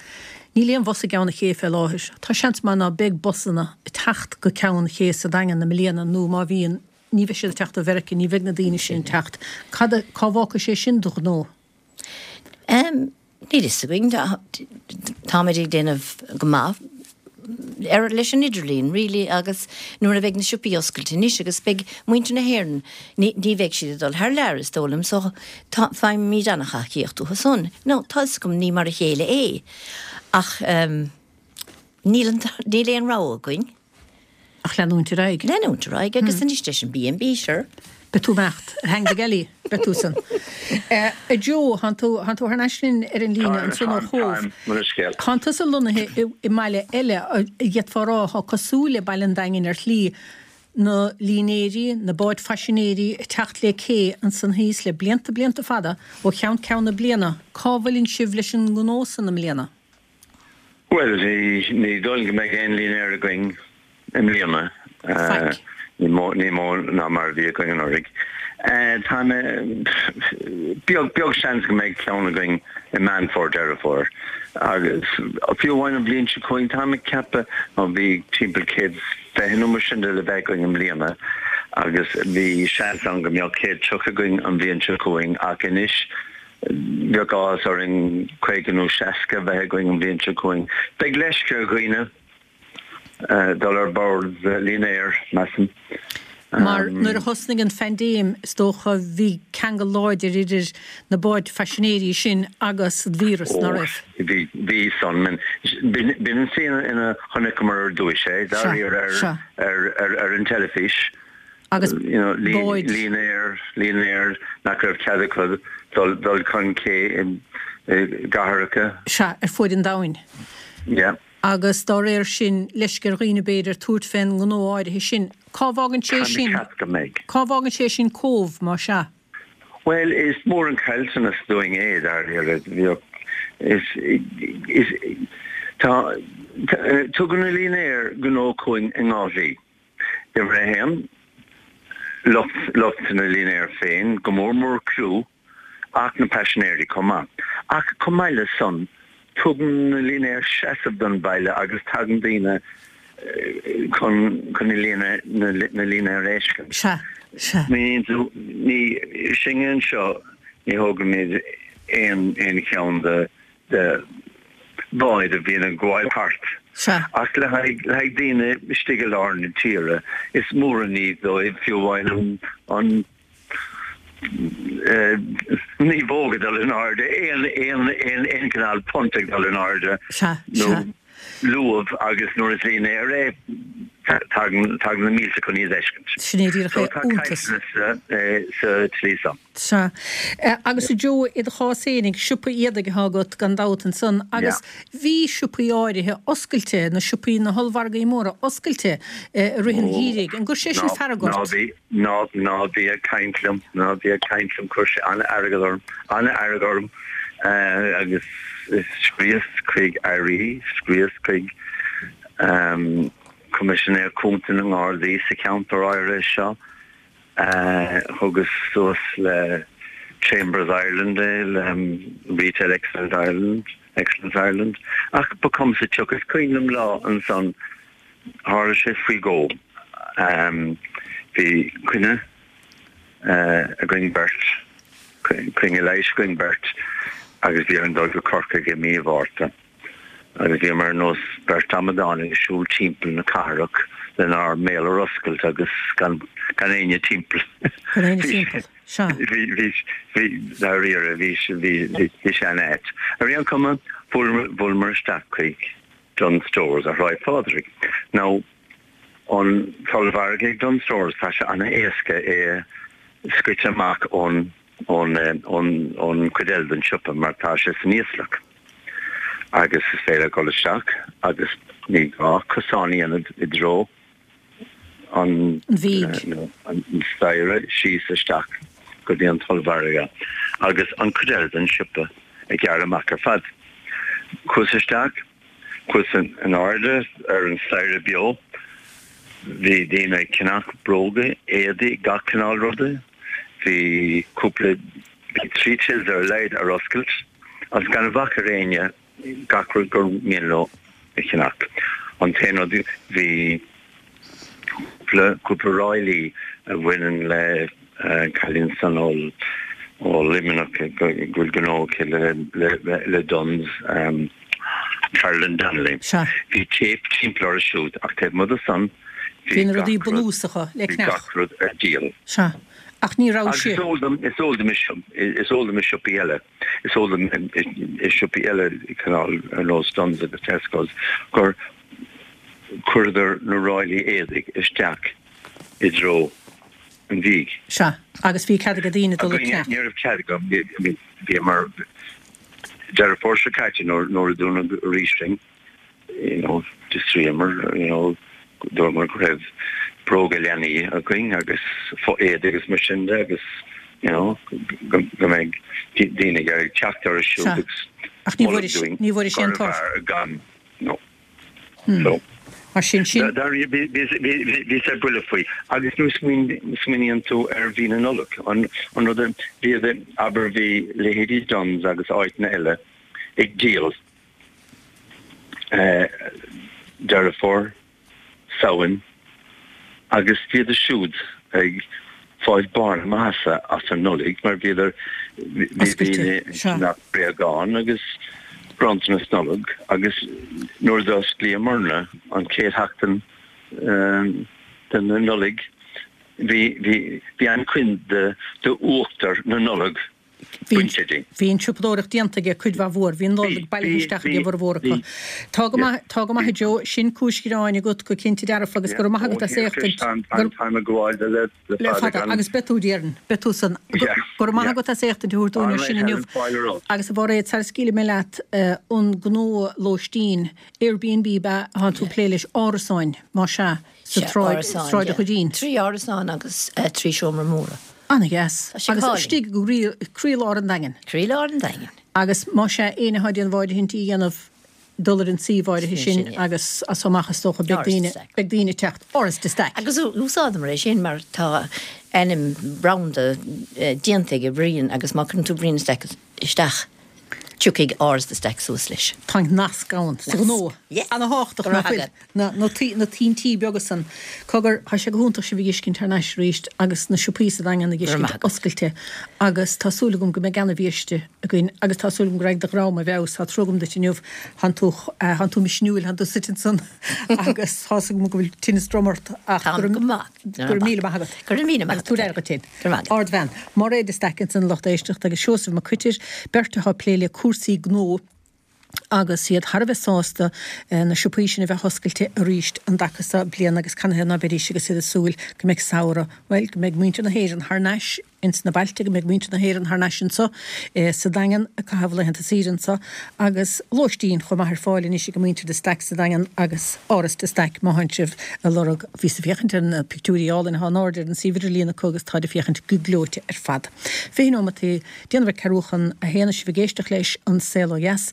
níl aon bhus i gCeann an Ché fé láthair. Tá seans maith ná beidh busanna ag teacht go Ceann an Ché sa Daingean i mbliana nó má bhíonn, ní bheidh siad ag teacht ó Mheirice, ní bheidh na daoine sin ag teacht. Cad a, cá bhfágfaidh sé sin do ghnó? Níl fhios againn. Táimid ag déanamh go maith ar leis an idirlíon really agus nuair a bheidh na siopaí oscailte anois agus beidh muintir na hÉireann, ní ní bheidh siad ag dul thar lear is dóigh liom so tá faighimid an-thacaíocht uathu san. Now tá fhios agam ní mar a chéile é ach níl an níl aon rogha againn. Ach leanúint ar aghaidh. Leanúint ar aghaidh agus anois leis an B&B, sure. Beidh tú ag imeacht ar theanga Ghealaí, beidh tú san. A Joe, thánn tú, thánn tú thar n-ais linn ar an líne ansan ó Chóbh. Táim, táim, scéal. Thánn tusa lonnaithe i, i mbaile eile, a d'fhéadfá a rá, atá cosúil le Baile an Daingin ar shlí, na línéirí, na báid phaisinéirí ag teacht le cé ansan thíos le blianta, blianta fada, ó cheann ceann na bliana. Cá bhfuileann sibh leis an ngnó san i mbliana? Bhuel, ní dóigh liom go mbeidh aon línéar againn i mbliana. Faic. Ní mó, ní mó ná mar a bhí againn anuraidh. Tá mé, beag, beag seans go mbeidh ceann againn i Meán Fómhair, Deireadh Fómhair. Agus fiú amháin an bhliain seo chugainn, tá mé ag ceapadh, nó bhí timpeall 120 nó mar sin de le bheith againn i mbliana agus bhí seans ann go mbeadh 130 againn an bhliain seo chugainn ach anois, Bheadh áthas orainn 50 nó 60 a bheith againn an bhliain seo chugainn. Beidh leisce ar dhaoine dul ar bord línéir, measaim. Mar nuair a thosnaigh an phaindéim, is dócha, bhí ceangal láidir idir na báid phaisinéirí sin agus an víreas, ná raibh? Ó, bhí, bhí san. B'in an tslí ina chonaiceamar ar dtúis é, dáiríre, ar an teilifís. agus báid. Línéir, línéir nach raibh cead acu dul chun cé i gcathracha. Sea, ar fuaid an domhain. Yeah. Agus dá réir sin, leisce ar dhaoine b'fhéidir tabhairt fén ngnó áirithe sin. Cá bhfágann sé sin, Tá mé ag ceapadh go mbeidh. cá bhfágann sé sin Cóbh, má sea? Bhuel, is mór an caillteanas dúinn é, dáiríre. Bheadh, is, is, tá, tugann na línéir gnó chugainn i ndhá shlí. Uimhir a haon, lucht, lucht na línéar féin, go mór mór criú, ach na paisinéirí chomh maith. Ach chomh maith le san, Tugann na línéir seasamh don bhaile agus tagann daoine chun chun na líne na línéir a fheiscint. Sea, sea. Míníonn tú, ní, sinne anseo, ní thógaimid aon aon cheann de de bháid a bhíonn ag gabháil thart. Sea. Ach le haghaidh le haghaidh daoine istigh i lár na tíre, is mór an ní dóibh fiú amháin an an naomhóg ag dul in airde, aon aon aon aon chineál punt ag dul in airde Sea, nó sea. luamh agus nuair is línéar é tagann tagann na mílte chun iad a fheiscint. Sin é díreach So é. tá Iontas. caillteanas sa tslí san. Sea. Agus a Joe, i do chás fhéinig, siopa éadaigh atá agat gan dabht ansan agus bhí siopaí áirithe oscailte, na siopaí, na hollmhargaí móra oscailte i rith an gheimhridh. An gcuir sé sin fearg Ná ort? bí, ná, ná bí ag caint liom, ná bí ag caint liom, chuir sé an-fhearg orm, an-fhearg orm agus scríos chuig airí, scríos chuig Coimisinéir Cúnta na nGardaí sa cheantar áirithe seo. Thugas suas le Chambers Ireland é, le Retail Excellence Ireland, Excellence Ireland, ach ba chuma sa tsioc. Is cuimhin liom lá ansan, tharla sé faoi dhó, bhí coinne againn beirt, coinne leighis againn beirt agus bhí orainn dul go Corcaigh i mí Mhárta. Agus bhíomar ar nós beirt amadán ag siúl timpeall na cathrach lenár mbéal ar oscailt agus gan gan éinne timpeall. Gan éinne timpeall, sea. Bhí, bhí, bhí, dáiríre, bhí, bhí, bhí sé an-ait. Ar aon chuma, bhuaileamar isteach chuig Dunnes Stores ar Shráid Phádraig. Now, an t-ollmhargadh ag Dunnes Stores, tá sé an-éasca é a scoiteadh amach ón, ón, ón, ón chuid eile den siopa mar tá sé san íoslach. agus is féidir dul isteach agus ní gá cosán a dhéanamh i dtreo an An an staighre síos isteach go dtí an t-ollmhargadh agus an chuid eile den siopa ag gearradh amach ar fad. Chuas isteach, chuas in airde ar an staighre beo, bhí daoine ag ceannach bróga, éadaí, gach cineál ruda, bhí cúpla, bhí 3 tills ar a laghad ar oscailt. Agus gan bhac ar éinne gach rud gur mian leo a cheannach. An t-aon rud, bhí cúpla, cúpla ráillí a bhaineann le cailín san ó ó Luimneach go bhfuil gnó aici le le le Dunnes, Carolyn Donnelly. Sea. Bhí téip timpeall orthu siúd ach taobh amuigh de san bhí na rudaí bunúsacha le bhí ceannach. gach rud ar díol. Sea. Ach ní raibh Agus is eol dom, is eol dom is eol dom i siopaí eile, is eol dom i siopaí eile, cineál ar nós Dunnes agus Tesco's, gur chuireadar na ráillí éadaigh isteach i dtreo an bhídh. Sea, agus bhí cead ag daoine dul ag ceannach. Ní raibh cead agam, bhíomar, Deireadh Fómhair seo caite nuair a dúnadh arís sinn, you know, d'fhiosraíomar, you know, dúramar go raibh bróga leanaí againn agus fo-éadaí agus mar sin de agus, you know, go mbeidh daoine ag iarraidh teacht orthu siúd agus Ach ní bhfuair dúinn ní bhfuair sé an gurbh fhearr gan, no. So. Mar sin, sin. Bhí sé buille faoi. Agus nuair a smaoiníonn tú ar mhí na Nollag, an rud a bhí, abair, bhí leithéidí Dunnes agus áiteanna eile ag díol Deireadh Fómhair, Samhain, agus bhíodar siúd ag fáil barr na maitheasa as an Nollaig mar bhíodar, bhí daoine ag ceannach bréagán agus bronntanas Nollag agus nuair a d'osclaíomarna an chéad sheachtain den Nollaig bhí, bhí, bhí an-chuid de, d'uachtar na Nollag bainte dínn. Bhí an tsiopadóireacht déanta aige cuid mhaith mhór. Bhí an Nollaig bailithe isteach ag a bhformhór acu. Tá go maith, tá go maith a Joe, sin cúis ghreáin agat go cinnte dearfa agus go raibh maith agat as éachtaint. Táim ag gabháil de le le fada agus beidh tú déarfainn, beidh tú san. Go raibh maith agat as éachtaint a thabhairt dúinn ar sin inniu. Agus a Mhairéad, sara scaoilfidh mé leat an gnó lóistín, Airbnb ab ea atá tú ag plé leis, árasáin, más ea. sa tsráid, Sráid an Choirín. 3 árasán agus 3 seomra móra. Ana-dheas. Agus istigh i gcroílár an Daingin. Croílár an Daingin. Agus más ea, éinne atá ag déanamh áirithintí a dhéanamh, dul ar an suíomh áirithe sin agus as so amach is dócha beidh daoine, beidh daoine ag teacht. Áras de Staic. Agus úsáideamar é sin mar tá ainm branda déanta ag Brian agus má cuireann tú Brian Stack isteach. Tiocfaidh Áras de Staic suas leis. Tá nasc ann sa ghnó. Yes. Ana-thábhachtach Go raibh nach bhfuil? agat. Na, na, na tointí beaga san. Cogar, tá sé go hiontach sibh a dh'fheiscint thar n-ais arís agus na siopaí sa Daingean a Go raibh maith dh'fheiscint agat. oscailte agus tá súil agam go mbeidh ana-bhiaiste againn agus tá súil agam go raghaidh do dhream i bhfeabhas. Tá trua agam duit inniu, thánn tú, thánn tú misniúil, thánn tú suite ansan agus tá's agam go bhfuil tinneas droma ort ach go Táim raibh, go maith. go raibh míle maith agat. Go raibh míle maith Agus tabhair aire agat. dhuit féin. Go raibh maith agat. Ardbhean. Mairéad de Staic ansan a lucht éisteachta agus Seosamh Mac Coitir, beirt atá ag plé le cúrsaí gnó agus iad thar a bheith sásta na siopaí sin a bheith oscailte arís an dtaca seo bliana agus canathaobh ná beidís agus iad ag súil go mbeidh samhradh, bhuel, go mbeidh muintir na hÉireann thar n-ais ins na bailte, go mbeidh muintir na hÉireann thar n-ais anso sa Daingean ag caitheamh laethanta saoire anso agus lóistín chomh maith ar fáil anois ag muintir de Staic sa Daingean agus Áras de Staic má thánn sibh ag lorg. Bhíos ag féachaint ar na pictiúirí álainn atá in airde ar an suíomh idirlíon acu agus táid ag féachaint go gleoite ar fad. 20 nóimeataí le déanamh ar ceathrú chun a haon is sibh ag éisteacht leis An Saol Ó Dheas.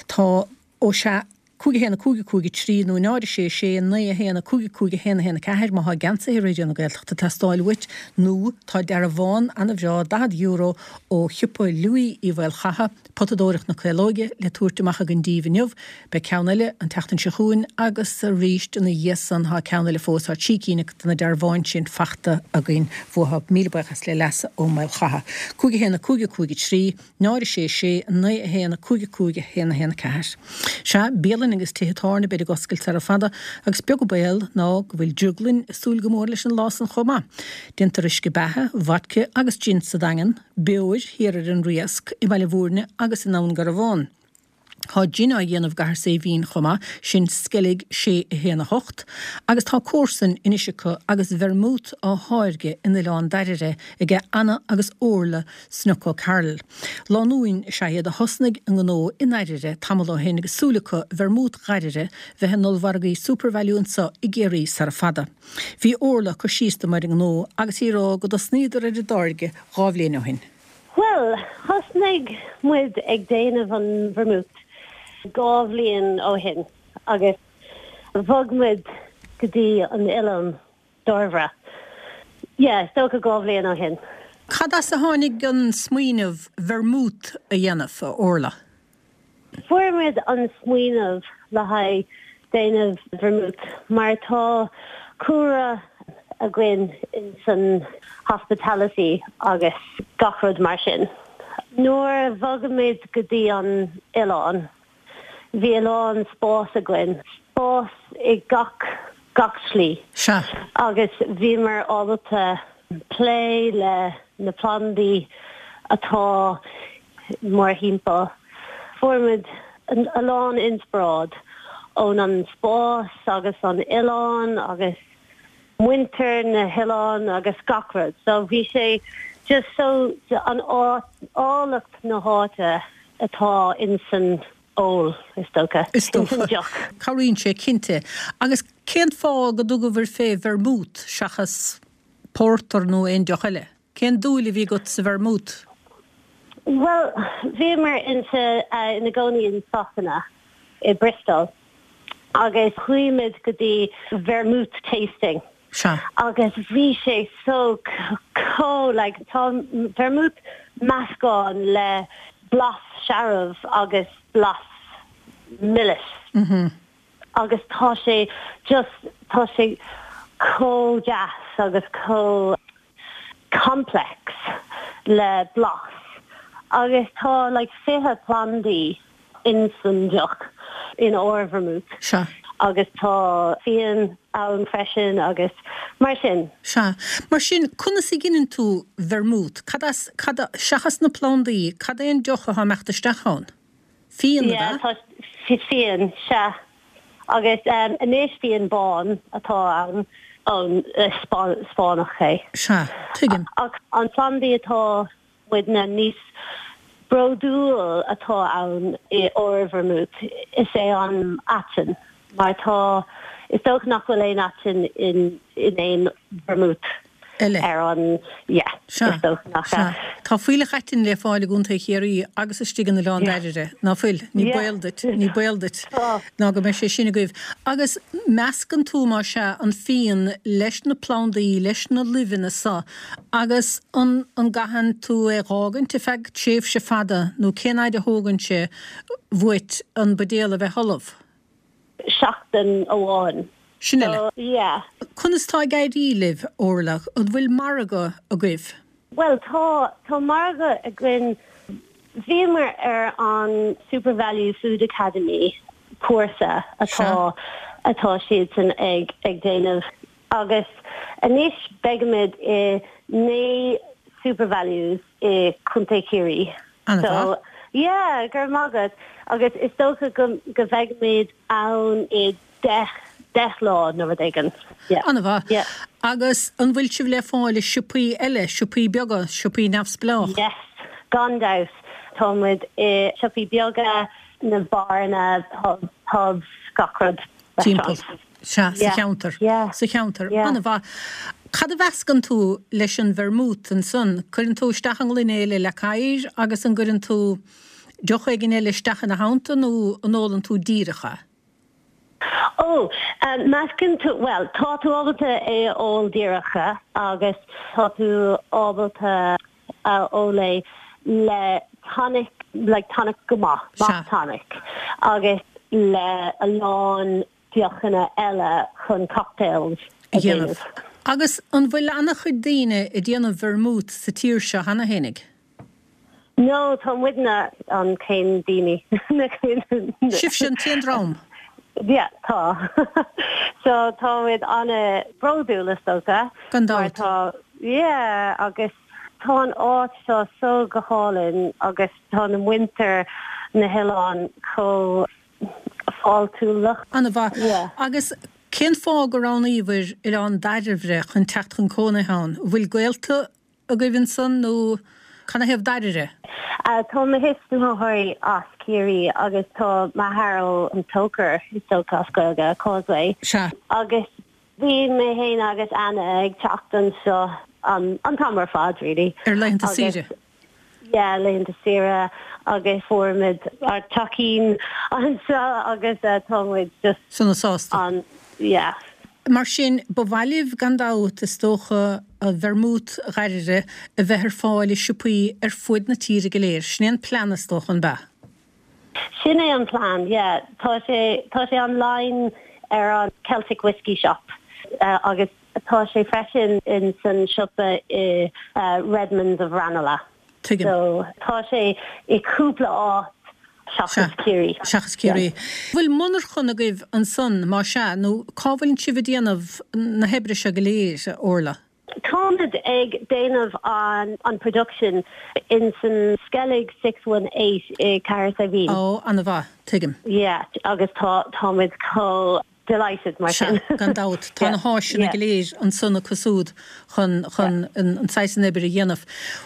Tá, ó sea, 5 1 5 5 3 nó 0 6 6 9 1 5 5 1 1 4 má thá geansaithe Raidió na Gaeltachta ag teastáil uait nó tá dearbhán ana-bhreá €40 ó shiopa Louis Uí Mhaolchatha, Potadóireacht na Caolóige, le tabhairt amach againn díbh inniu. Beidh ceann eile an tseachtain seo chugainn agus arís ina dhiaidh san tá ceann eile fós. Tá trí cinn de na dearbháin sin fachta againn uathu. Míle buíochas le Leasa Ó Maolchatha. 5 1 5 5 3 0 6 6 9 1 5 5 1 1 4. Sea, bialanna agus tithe tábhairne beid ag oscailt sara fada agus beag an baol ná go bhfuil drioglainn ag súil go mór leis an lá san chomh maith. Déantar uisce beatha, vodka agus gin sa Daingean, beoir thiar ar an Riasc, i mBaile Bhúirne agus i nDún Garbhán. Tá gin á dhéanamh i gCathair Saidhbhín chomh maith, sin Sceilg 6 1 8, agus tá comharsain anois acu agus vermouth á tháirgeadh in Oileán Dairbhre aige Anna agus Orla Snook O'Carroll. Lánúin is ea iad a thosnaigh a ngnó i nDairbhre tamall ó shin agus súil acu vermouth Dhairbhre bheith in ollmhargaí Supervalu anso i gCiarraí sara fada. Bhí Orla ag cur síos dom ar an ngnó agus í ag rá go dtosnaíodar ar an dtáirgeadh dhá bhliain ó shin. Bhuel, thosnaigh muid ag déanamh an vermouth dhá bhliain ó shin agus bhog muid go dtí an oileán Dairbhre. Yeah, is dócha dhá bhliain ó shin. Cad as a tháinig an smaoineamh vermouth a dhéanamh, a Orla? Fuair muid an smaoineamh le haghaidh déanamh vermouth mar tá cúlra againn in san hospitality agus gach rud mar sin. Nuair a bhog muid go dtí an oileán bhí a lán spás againn, spás i gach gach slí. Sea. Agus bhíomar ábalta plé le na plandaí atá mórthimpeall. Fuair muid a lán inspioráid ón an spás agus an oileán agus muintir na hoileán agus gach rud. So bhí sé just so an áit, áilleacht na háite atá insan ól, is dócha. Is dócha. Insan deoch. Cabhraíonn sé cinnte. Agus cén fáth go dtugabhair fé vermouth seachas pórtar nó aon deoch eile? Cén dúil a bhí agat sa vermouth? Bhuel, bhíomar insa, ina gcónaí in Sasana, i Bristol, agus chuaigh muid go dtí vermouth tasting. Sea. Agus bhí sé so chomh, like, tá vermouth meascán le blas searbh agus blas milis. Agus tá sé just, tá sé chomh deas agus chomh complex le blas agus tá like 20 plandaí insan deoch in ár vermouth. Sea. Agus tá fíon ann freisin agus mar sin. Sea. Mar sin, conas a ghineann tú vermouth? Cad as, cad, seachas na plandaí, cad é an deoch atá ag imeacht isteach ann? Fíon, ab Yeah, ea? tá fíon, sea. Agus anois fíon bán atá ann, ón Spáinneach é. Sea, tuigim. Ach an plandaí atá muidne níos bródúil atá ann i ár vermouth, is é an aiteann, mar tá, is dócha nach bhfuil aon aiteann in in aon vermouth. Eile. ar an, yeah, Sea, is dócha nach sea. ea. Tá fuílleach aitinn le fáil i gContae Chiarraí agus istigh in Oileán Yeah. Dairbhre, ná fuil? Ní Yeah. baol duit, ní baol duit Tá. ná go mbeidh sé sin agaibh. Agus meascann tú, más ea, an fíon leis na plandaí, leis na luibheanna so, agus an, an gcaitheann tú é dh'fhágaint ar feadh tréimhse fada nó cén fhaid a thógann sé uait an buidéal a bheith ullamh? Seachtain amháin. Sin uile. So, yeah. Conas tá ag éirí libh, Orla? An bhfuil margadh agaibh? Bhuel, tá, tá margadh againn. Bhíomar ar an SuperValu Food Academy cúrsa atá, atá siadsan ag, ag déanamh agus anois beidhimid i 9 SuperValus i Contae Chiarraí. An-mhaith. So, yeah, go raibh maith agat. Agus is dócha go, go mbeidhimid ann i 10, 10 lá nó rud éigin. Yeah. An-mhaith. Yeah. Agus an bhfuil sibh le fáil i siopaí eile, siopaí beaga, siopaí neamhspleách? Yes, gan dabht. Tá muid i siopaí beaga, na beáranna, pub, pubs, gach rud. Timpeall. Restaurants. Sea, sa Yeah. cheantar. Yeah. Sa cheantar. Yeah. An-mhaith. Cad a mheascann tú leis an vermouth ansan? Cuireann tú isteach i ngloine é le leac oighir agus an gcuireann tú deoch éigin eile isteach ina theannta nó an ólann tú díreach é? Ó, meascann tú, bhuel, tá tú ábalta é a ól díreach agus tá tú ábalta a ól é le tonic, like tonic go maith, maith tonic, agus le a lán deochanna eile chun cocktails a dhéanamh. Agus an bhfuil ana-chuid daoine ag déanamh vermouth sa tír seo cheana fhéinig? No, tá muidne an chéad daoine. Sibhse an t-aon dream? Yeah, tá. So tá muid an-bhródúil is dócha. Gan dabht. Mar tá, yeah, agus tá an áit seo so go hálainn agus tá na muintir na hoileáin chomh fáiltiúlach. An-mhaith. Yeah. Agus cén fáth gur roghnaíobhair Oileán Dairbhre chun teacht chun cónaithe ann? An bhfuil gaolta agaibh ansan nó canathaobh Dairbhre? Tá mo thuismitheoirí as Ciarraí agus tá m'athair ó An Tóchar, is dócha as Gaeilge, Causeway. Sea. Agus bhí mé féin agus Anna ag teacht anseo an t-am ar fad really. Ar laethanta saoire? Yeah, laethanta saoire agus fuair muid ár teachín anseo agus tá muid just. Sona sásta. An, yeah. Mar sin, ba mhaith libh gan dabht, is dócha, vermouth Dhairbhre a bheith ar fáil i siopaí ar fuaid na tíre go léir. Sin é an plean, is dócha, an b'ea? Sin é an plean, yeah. Tá sé, tá sé online ar an Celtic Whiskey Shop agus tá sé freisin in san siopa i Redmond's of Ranelagh. Tuigim. So tá sé i cúpla áit seachas Ciarraí. Seachas Ciarraí. Bhfuil monarchan agaibh ansan, má sea, nó cá bhfuileann sibh ag déanamh na hoibre seo go léir, a Orla? Táimid ag déanamh an an production in san Skellig 618 i Cahersiveen. Ó, ana-mhaith, tuigim. Yeah, agus tá táimid chomh delighted mar Sea, sin. gan dabht. Tá na háiseanna go léir ansan acu súd chun chun an saghas san oibre a dhéanamh.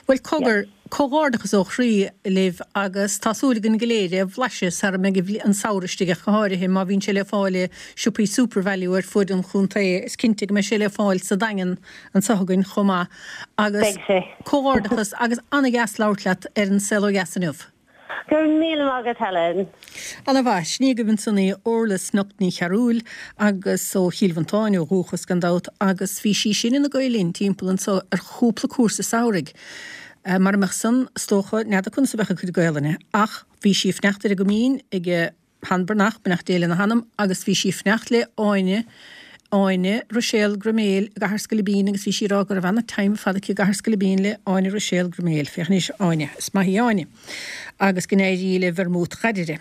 Bhuel, cogar, comhghairdeachas ó chroí libh agus tá súil againn go léir é a bhlaiseadh sara mbeidh an samhradh istigh ach go háirithe má bhíonn sé le fáil i siopaí SuperValu ar fuaid an chontae. Is cinnte go mbeidh sé le fáil sa Daingean anseo againn chomh maith. Agus Beidh sé. comhghairdeachas agus an-dheas labhairt leat ar An Saol Ó Dheas inniu. Go raibh míle maith agat Helen. Ana mhaith. Sin í agaibh ansan í Orla Snuk Ní Chearúil agus ó Chill Mhantáin ó dhúchas gan dabht agus bhí sí sin ina Gael Linn timpeall anso ar chúpla cúrsa samhraidh. Mara mbeadh san, is dócha, n'fheadar conas a bheadh a cuid Gaelainne ach bhí sí ag fanacht ar an gCoimín ag Shean Breathnach, beannacht Dé lena hanam, agus bhí sí ag fanacht le Áine, Áine Ruiséal Gruiméil i gCathair Scoilbín agus bhí sí ag rá go raibh ana-time ar fad aici i gCathair Scoilbín le Áine Ruiséal Gruiméil. Féach anois, Áine. Is maith í Áine. Agus go n-éirí le Vermouth Dhairbhre.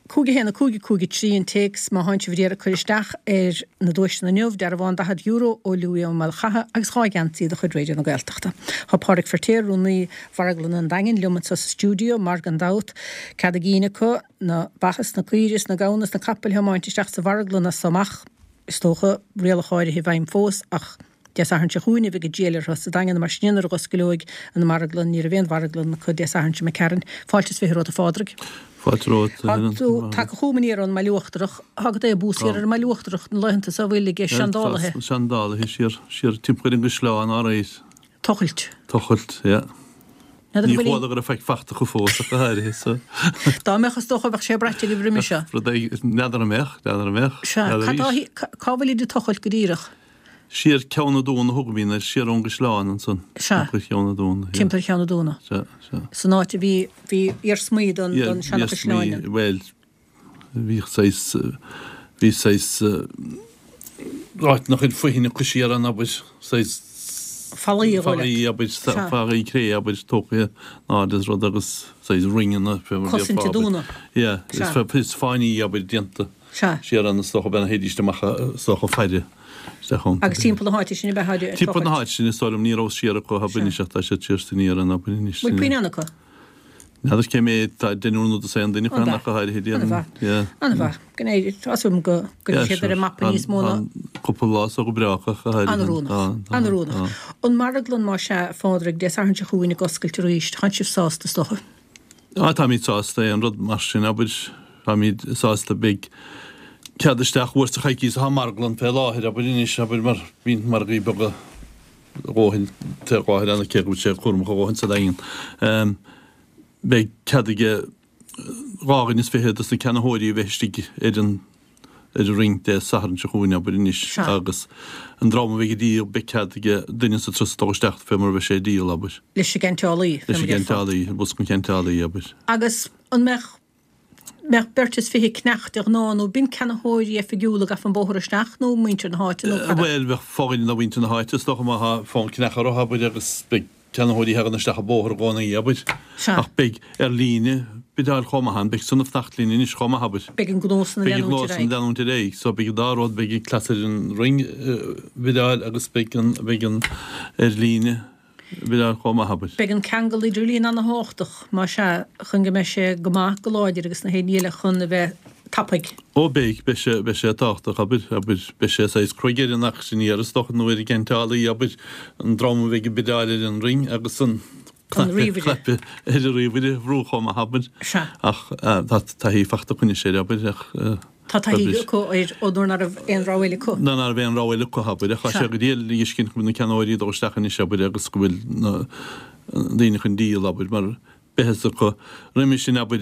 5 1 5 5 3 an téacs má thánn sibh ag iarraidh cur isteach ar na duaiseanna inniu, dearbhán €40 ó Louis Ó Maolchatha agus 2 gheansaí de chuid Raidió na Gaeltachta. Tá Pádraig Feirtéar, Rúnaí Mharglann an Daingin, liom anseo sa stiúideo mar, gan dabht, cead a gcinn acu, na ba is na caoirigh is na gamhna is na capaill a thiomáint isteach sa mharglann as so amach, is dócha, rialacha áirithe i bhfeidhm fós ach Dé Sathairn seo chugainn a bheidh an triail orthu sa Daingean mar sin nuair a dh'oscaileoidh an mharglann, ní raibh aon mharglann acu Dé Sathairn seo imigh tharainn. Fáilte is 20 romhat a Phádraig. Fáilte romhat. Tá tú tagtha chugam aniar ón mBaile Uachtarach. Tá go dté bús siar ar an mBaile Uachtarach na laethanta so a bhfuil ag seandálaithe. Tá seandálaithe siar, siar timpeall ar an gcaisleán alright. Tochailt. Tochailt, yeah. N'fheadar Ní bhfuil chuala go raibh faic fachta acu fós ach go háirithe so. Dá mbeadh is dócha bheadh sé braite agaibh roimhe seo. Rud éigin, n'fheadar an mbeadh, n'fheadar an mbeadh. Sea, N'fheadar cad arís. tá, cá bhfuilid ag tochailt go díreach? Siar Ceann na Dúna a thugaimid air, siar ón gcaisleán ansan. Sea. Timpeall Cheann na Dúna, yeah. Timpeall Cheann na Dúna. Sea, sea. San áit a bhí, bhí iarsmaí don, Yeah, don seana-chaisleán. iarsmaí, bhuel, bhíodh saghas, bhí saghas áit nach raibh foithin acu siar ann, abair, saghas Fallaí a dhul leat. Fallaí, abair, Sea. fallaí cré, abair, tógtha in airde is rud agus saghas ringeanna, fé mar a Cosaint déarfá, a abair. dúna. Yeah, Sea. is fáinní, abair, déanta. Sea. Siar ann is dócha b'in a théidís amach is dócha faire isteach ann. Agus timpeall na háite sin ab ea ag Timpeall na háite sin is dóigh liom ní raibh siar acu abair Sea. anois ach tá siad siar san iar ann abair anois. Bhfuil puinn acu? N'fheadar cé méid tá deichniúr nó dosaen duine acu An-mhaith. ach go háirithe déarfainn. An-mhaith. Yeah. An-mhaith. Go n-éirí, tá súil agam go go Yeah, bhfuil siad ar sure. an mapa níos mó ná. Tá cúpla lá so go breá acu ach go háirithe. An-oiriúnach. Tá, tá, An-oiriúnach. tá. An marglann más ea, a Phádraig, Dé Sathairn seo chugainn ag oscailt arís, tánn sibh sásta is dócha? Á, táimid sásta aon rud mar sin, abair, táimid sásta, beidh cead isteach uair sa choicís atá an marglann fé láthair, abair, anois, abair, mar bíonn margaí beaga a dhóthain fé láthair ann, cé go bhfuil sé cúramach a dhóthain sa Daingean. Beidh cead aige 22 dhuine dos na ceannaitheoirí a bheith istigh ar an ar an ring Dé Sathairn seo chugainn, abair anois, Sea. agus an dream a bheidh ag díol, beidh cead aige duine sa turas dul isteach fé mar a bheidh sé ag díol, abair. Leis an gceantálaí, fé Leis mar an a déarfá. gceantálaí, bosca an cheantálaí, abair. Agus an mbeadh, mbeadh beirt is fiche ag ceannach de ghnáth, nó b'in ceannaitheoirí oifigiúla a gabh an bóthar isteach, nó muintir na háite, nó cad a. Bhuel, bheadh fo-dhuine de mhuintir na háite, is dócha, má tá fonn ceannach orthu, abair, agus beidh ceannaitheoirí a thagann isteach an bóthar i gcónaí, abair. Sea. Ach beidh ar líne bideáil chomh maith ann, beidh san ag fanacht linn anois chomh maith, abair. Beidh an gnó san ag Beidh an leanúint gnó ar san ag aghaidh. leanúint ar aghaidh. So beidh an dá rud, beidh an cleas ar an ring bideáil agus beidh an, beidh an ar líne bideáil chomh maith, abair. Beidh an ceangal idirlín ana-thábhachtach, más ea, chun go mbeidh sé go maith, go láidir agus na haon ní eile chun a bheith tapaidh. Ó beidh, beidh sé, beidh sé tábhachtach, abair, abair, beidh sé saghas cruaidh ar an auctioneer is dócha nó ar an gceantálaí, abair, an dream a bheidh ag bideáil ar an ring agus an An cnaipe, ríomhaire. cnaipe ar an ríomhaire a bhrú chomh maith, abair. Sea. Ach tá taithí fachta acu anois air, abair, ach Tá taithí abair. acu air ó nuair ná raibh aon rogha eile acu. Nuair ná raibh aon rogha eile acu, abair, ach tá Sea. sé go diail a fheiscint go bhfuil na ceannaitheoirí ag dul isteach anois, abair, agus go bhfuil na daoine chun díol, abair, mar beidh fhios acu. Roimhe sin, abair,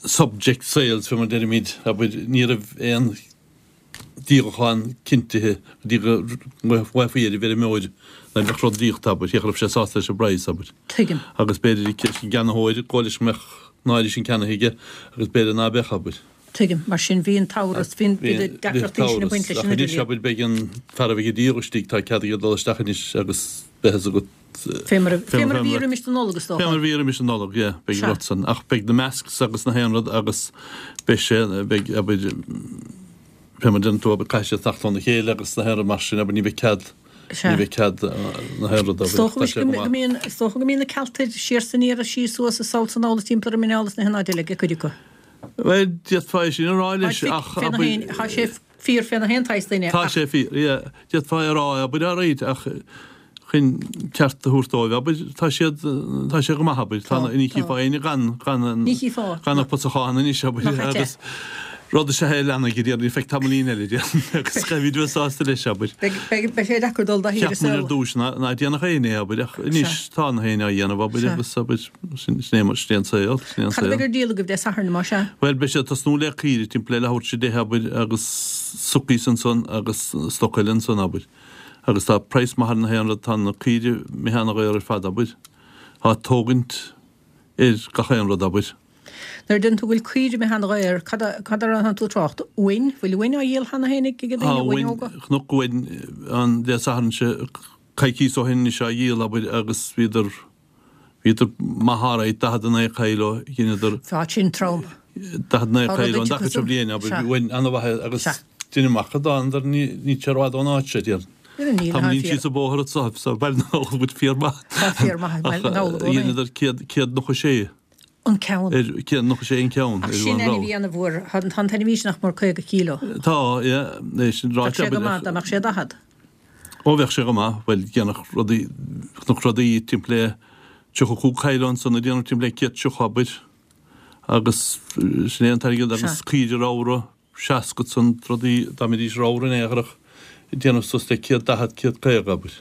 subject sales, fé mar deirimid, abair, ní raibh aon díolachán cinntithe go dtí go bhfaighfí ar an bhfeirmeoir nuair a bheadh rud díolta, abair, cé raibh sé sásta leis an bpraghas, abair. Tuigim. Agus b'fhéidir leis an gceannaitheoir, go leis go mbeadh an áirithe sin ceannaithe aige agus b'fhéidir ná beadh, abair. Tuigim. Mar sin, bhí an t-amhras, bhí an, bhí na deacrachtaí sin ag baint leis Ach an anois, idirlíon. abair, beidh an fear a bheidh ag díol istigh, tá cead aige dul isteach anois agus beidh fhios agat, Fé mar a bhí roimis an Nollaig, is dócha. Fé mar a bhí roimis an Nollaig, yeah, beidh an rud san. Ach beidh na masks agus na haon rud agus beidh sé, beidh, abair, fé mar a deireann tú, abair, caithfidh siad fanacht óna chéile agus na haon rud mar sin, abair, ní bheidh cead, ní bheidh cead na haon rud, abair. Is dócha go mbíonn, is dócha go mbíonn na Cealtaigh siar 's aniar is síos suas is sall 's anall is timpeall ar an muineál is na haon áit eile ag cuid acu. Bhuel, d'fhéadfá é sin a rá leis ach, abair. Tá sé fíor fé na haon tsaghas duine Tá ach. sé fíor, yeah. D'fhéadfá é a rá, abair, alright, ach chun ceart a thabhairt dóibh, abair, tá siad, tá sé go maith, abair, tá, Tá, ní tá. chífeá éinne gan, gan an, Ní chífeá, gan ná. an pusachán anois, abair, Nach ait é. agus rud is ea é a leanfaidh, a déarfainn, feadh tamaillín eile, déarfainn, agus caithfimid a bheith sásta leis, abair. Beidh, beidh, beidh sé deacair dul dá shaoire Cheap muid ar saol. dtús ná, ná déanfadh éinne é, abair, ach anois Sea. tá na héinne á dhéanamh, abair, Sea. agus, abair, sin, sin é mar, sin é an saol, sin é an Cad a saol. bheidh ar díol agaibh Dé Sathairn, más ea? Bhuel, beidh sé ag tosnú le caoirigh timpeall le leathuair tar éis a deich, abair, agus suckies ansan agus stoc eile ansan, abair. Agus tá praghas maith ar na haon rud, tá na caoirigh imithe ana-dhaor ar fad, abair. Tá tógaint ar gach aon rud, abair. Nuair a deireann tú go bhfuil caoirigh imithe ana-dhaor, cad a, cad a rá tú ag trácht? Uain? Bhfuil uain á dhíol cheana féin ag Tá daoine, uain uain, óga? chonac uain an Dé Sathairn seo, coicíos ó shin anois á dhíol, abair, agus bhíodar, Bhíodar maith alright, 49 kilo, dheineadar. Tá sin trom. 49 kilo an dtaca seo bliain, abair, uain ana-mhaith agus deinim amach go dtánadar, níl sé rófhada ón áit seo, déarfainn. Níl, Tá muid síos an bóthar anso, so Baile na nGall, muid fíor maith. Tá fíor maith, Baile na nGall i gcónaí. Dheineadar 196. An ceann. Ar 196 an ceann. Ach sin ainmhí ana-mhór, tá an t-ainmhí sin nach mór 50 kilo. Tá, yeah, é sin ráite. Bheadh sé go maith dá mbeadh sé 40. Ó bheadh sé go maith, bhuel, dhéanfadh rudaí, chonac rudaí timpeall le 35 kilo ansan ag déanamh timpeall le 130 abair. Agus sin é an t-airgead agus caoire ramhra, 60 san rudaí dá mbeidís ramhar in aon chor ach ag déanamh suas le 140, 150 abair.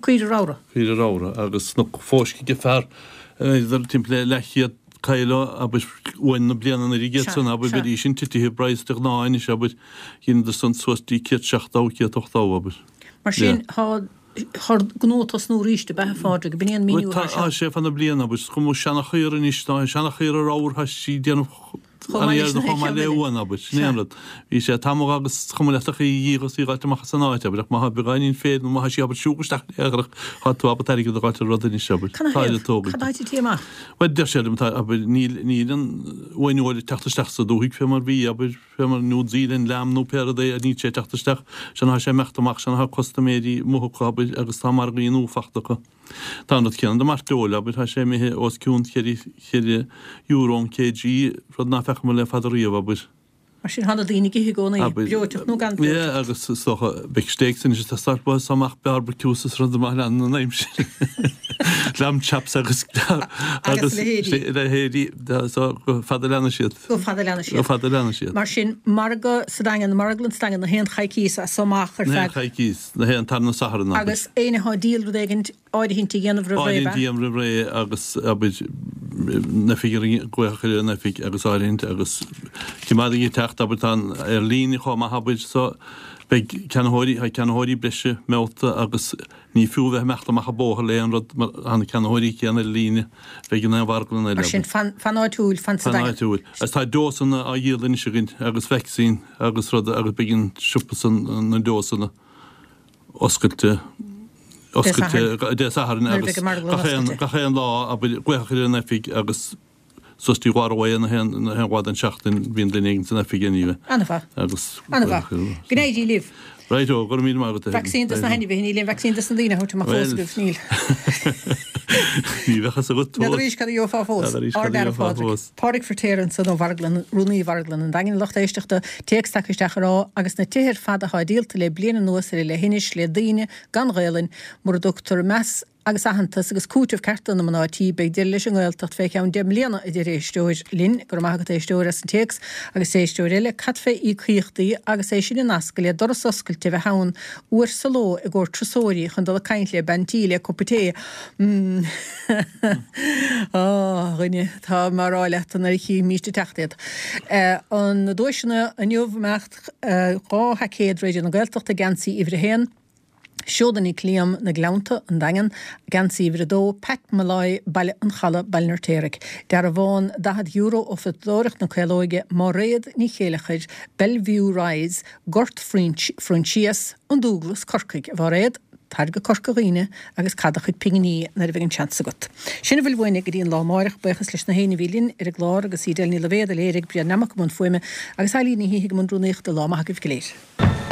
Caoire ramhra? Caoire ramhra agus na fóisc ag fear idir timpeall le leathchéad kilo abair uain na bliana anuraidh iad san abair bheidís sin titithe i bpraghas de ghnáth anois abair dheineadar san suas dtí 170, 180 abair. Mar sin tá Tá gnó ag tosnú arís, ab ea, a Phádraig? Ab in é an míniú atá seo? Tá sé fá na bliana, abair. Is cuma seanachaora anois, tá seanachaora ramhar, tá sí ag déanamh Chomh maith leis na chomh maith le ceann eile. uan, abair. Sin é an rud. Bhí sé tamall agus is cuma leat ach í a dhíol is í a dh'fháilt amach as an áit, abair. Ach má thá beagáinín féir nó má thá sí ábalta siúl isteach in aon chor, thá tú ábalta airgead a dh'fháilt ar rud anois, abair. Cad Tá thaobh? le tógaint. Cad atá tití amach? Bhuel, deir sé liom, tá, abair, níl, níl an uain fheoil ag teacht isteach sa dúthaigh fé mar bhí, abair. fé mar New Zealand lamb nó pé rud é, níl sé ag teacht isteach, sea ná tá sé ag imeacht amach, sea ná tá custaiméirí amuigh acu, abair, agus tá margaí nua fachta acu. Tá an rud céanna do mairteoil, abair, tá sé imithe os cionn cheithre euro an kg, rud ná feacamar le fada riamh, abair. Mar sin, tá na daoine ag ithe i gcónaí, breoiteacht nó gan breoiteacht. Yeah, agus is dócha, beidh steaks anois ag teastáil uathu so amach barbecues is rud maith lean an aimsir. Lamb chops agus agus leithéidí. Leithéidí, so go fada leanfaidh siad. Go fada leanfaidh siad. Go fada leanfaidh siad. Mar sin, margadh sa Daingean, marglann sa Daingean, na haon choicíos as so amach ar feadh. Na haon choicíos, na haon tarna Satharn, abair. Agus éinne atá ag díol rud éigint, áirithint a dhéanamh roimh ré, ab ea? Áirithint a dhéanamh roimh ré agus, abair, an oifig a glaoch ar an oifig agus áirithint agus cimeád ag teacht, abair, tá an ar líne chomh maith, abair, so beidh ceannaitheoirí, tá ceannaitheoirí breise meallta agus Ní fiú a bheith ag imeacht amach an bóthar le aon rud mar tá na ceannaitheoirí céanna ar líne a bheidh in aon mharglann eile. Mar sin, fan, fan áitiúil, fan sa Fan Daingean. áitiúil. Agus tá dósanna á dhíol anois againn agus vacsaín agus rud agus beidh an siopa san, na dósanna oscailte, Dé oscailte Sathairn. Dé Sathairn Nuair a agus bheidh an marglann gach aon, oscailte. gach aon lá, abair, glaoch ar an oifig agus Suas dtí dhá ró na haon lá den seachtain bíonn duine éigin san oifig anyway. Ana-mhaith. Agus. Ana-mhaith. Go n-éirí libh. Right o, go raibh míle maith agat a Helen. Vacsaín dos na hainmhithe, níl aon vacsaín dos na daoine a thabhairt amach fós agaibh, níl. Ní bheadh fhios agat fós. N'fheadar arís cad a gheofá fós. N'fheadar arís cad a Ard fhear gheofá Phádraig. fós. Pádraig Firtéar ansan ó Mharglann, Rúnaí Mharglann an Daingin, lucht éisteachta, téacs tagtha isteach a rá, agus na tithe ar fad athá díolta le bliain anuas ar an leithinis le daoine gan Ghaelainn, mura dtugtar meas agus aitheantas agus cúiteamh ceart do na mná tí, beidh deireadh leis an nGaeltacht fé cheann 10 mbliana, a deir éisteoir linn. Go raibh maith agat, a éisteoir, as an téacs. Agus éisteoir eile, cad fé íocaíochtaí agus é sin a nascadh le doras oscailte a bheith ann uair sa ló i gcomhair turasóirí chun dul ag caint le bean tí le cupa tae? Mmm. Á, a dhuine, tá mé a rá leat nuair a chífimíst ag teacht iad. Na duaiseanna inniu, imeacht 2 sheaicéad Raidió na Gaeltachta, geansaí uimhir a haon. Seoda Nic Liam, Na Gleannta, An Daingean, Geansaí Uimhir 2, Pat Molloy, Baile an Chalaidh, Baile an Fheirtéaraigh. Dearbhán €40 ó Phiosadóireacht na Caolóige, Máiréad Ní Chéileachair, Bellevue Rise, Gort Phroinsias, An Dúglas, Corcaigh. A Mháiréad, tar go Corca Dhuibhne agus caith do chuid pinginí nuair a bheidh an seans agat. Sin a bhfuil uainne go dtí an lá amáireach. Buíochas leis na héinne a bhí linn ar an gclár agus Edel Ní Loibhéad a léirigh, Brian Nammock i mbun fuaime agus Eilín Ní hÍthigh i mbun rúnaíochta. Lá maith agaibh go léir.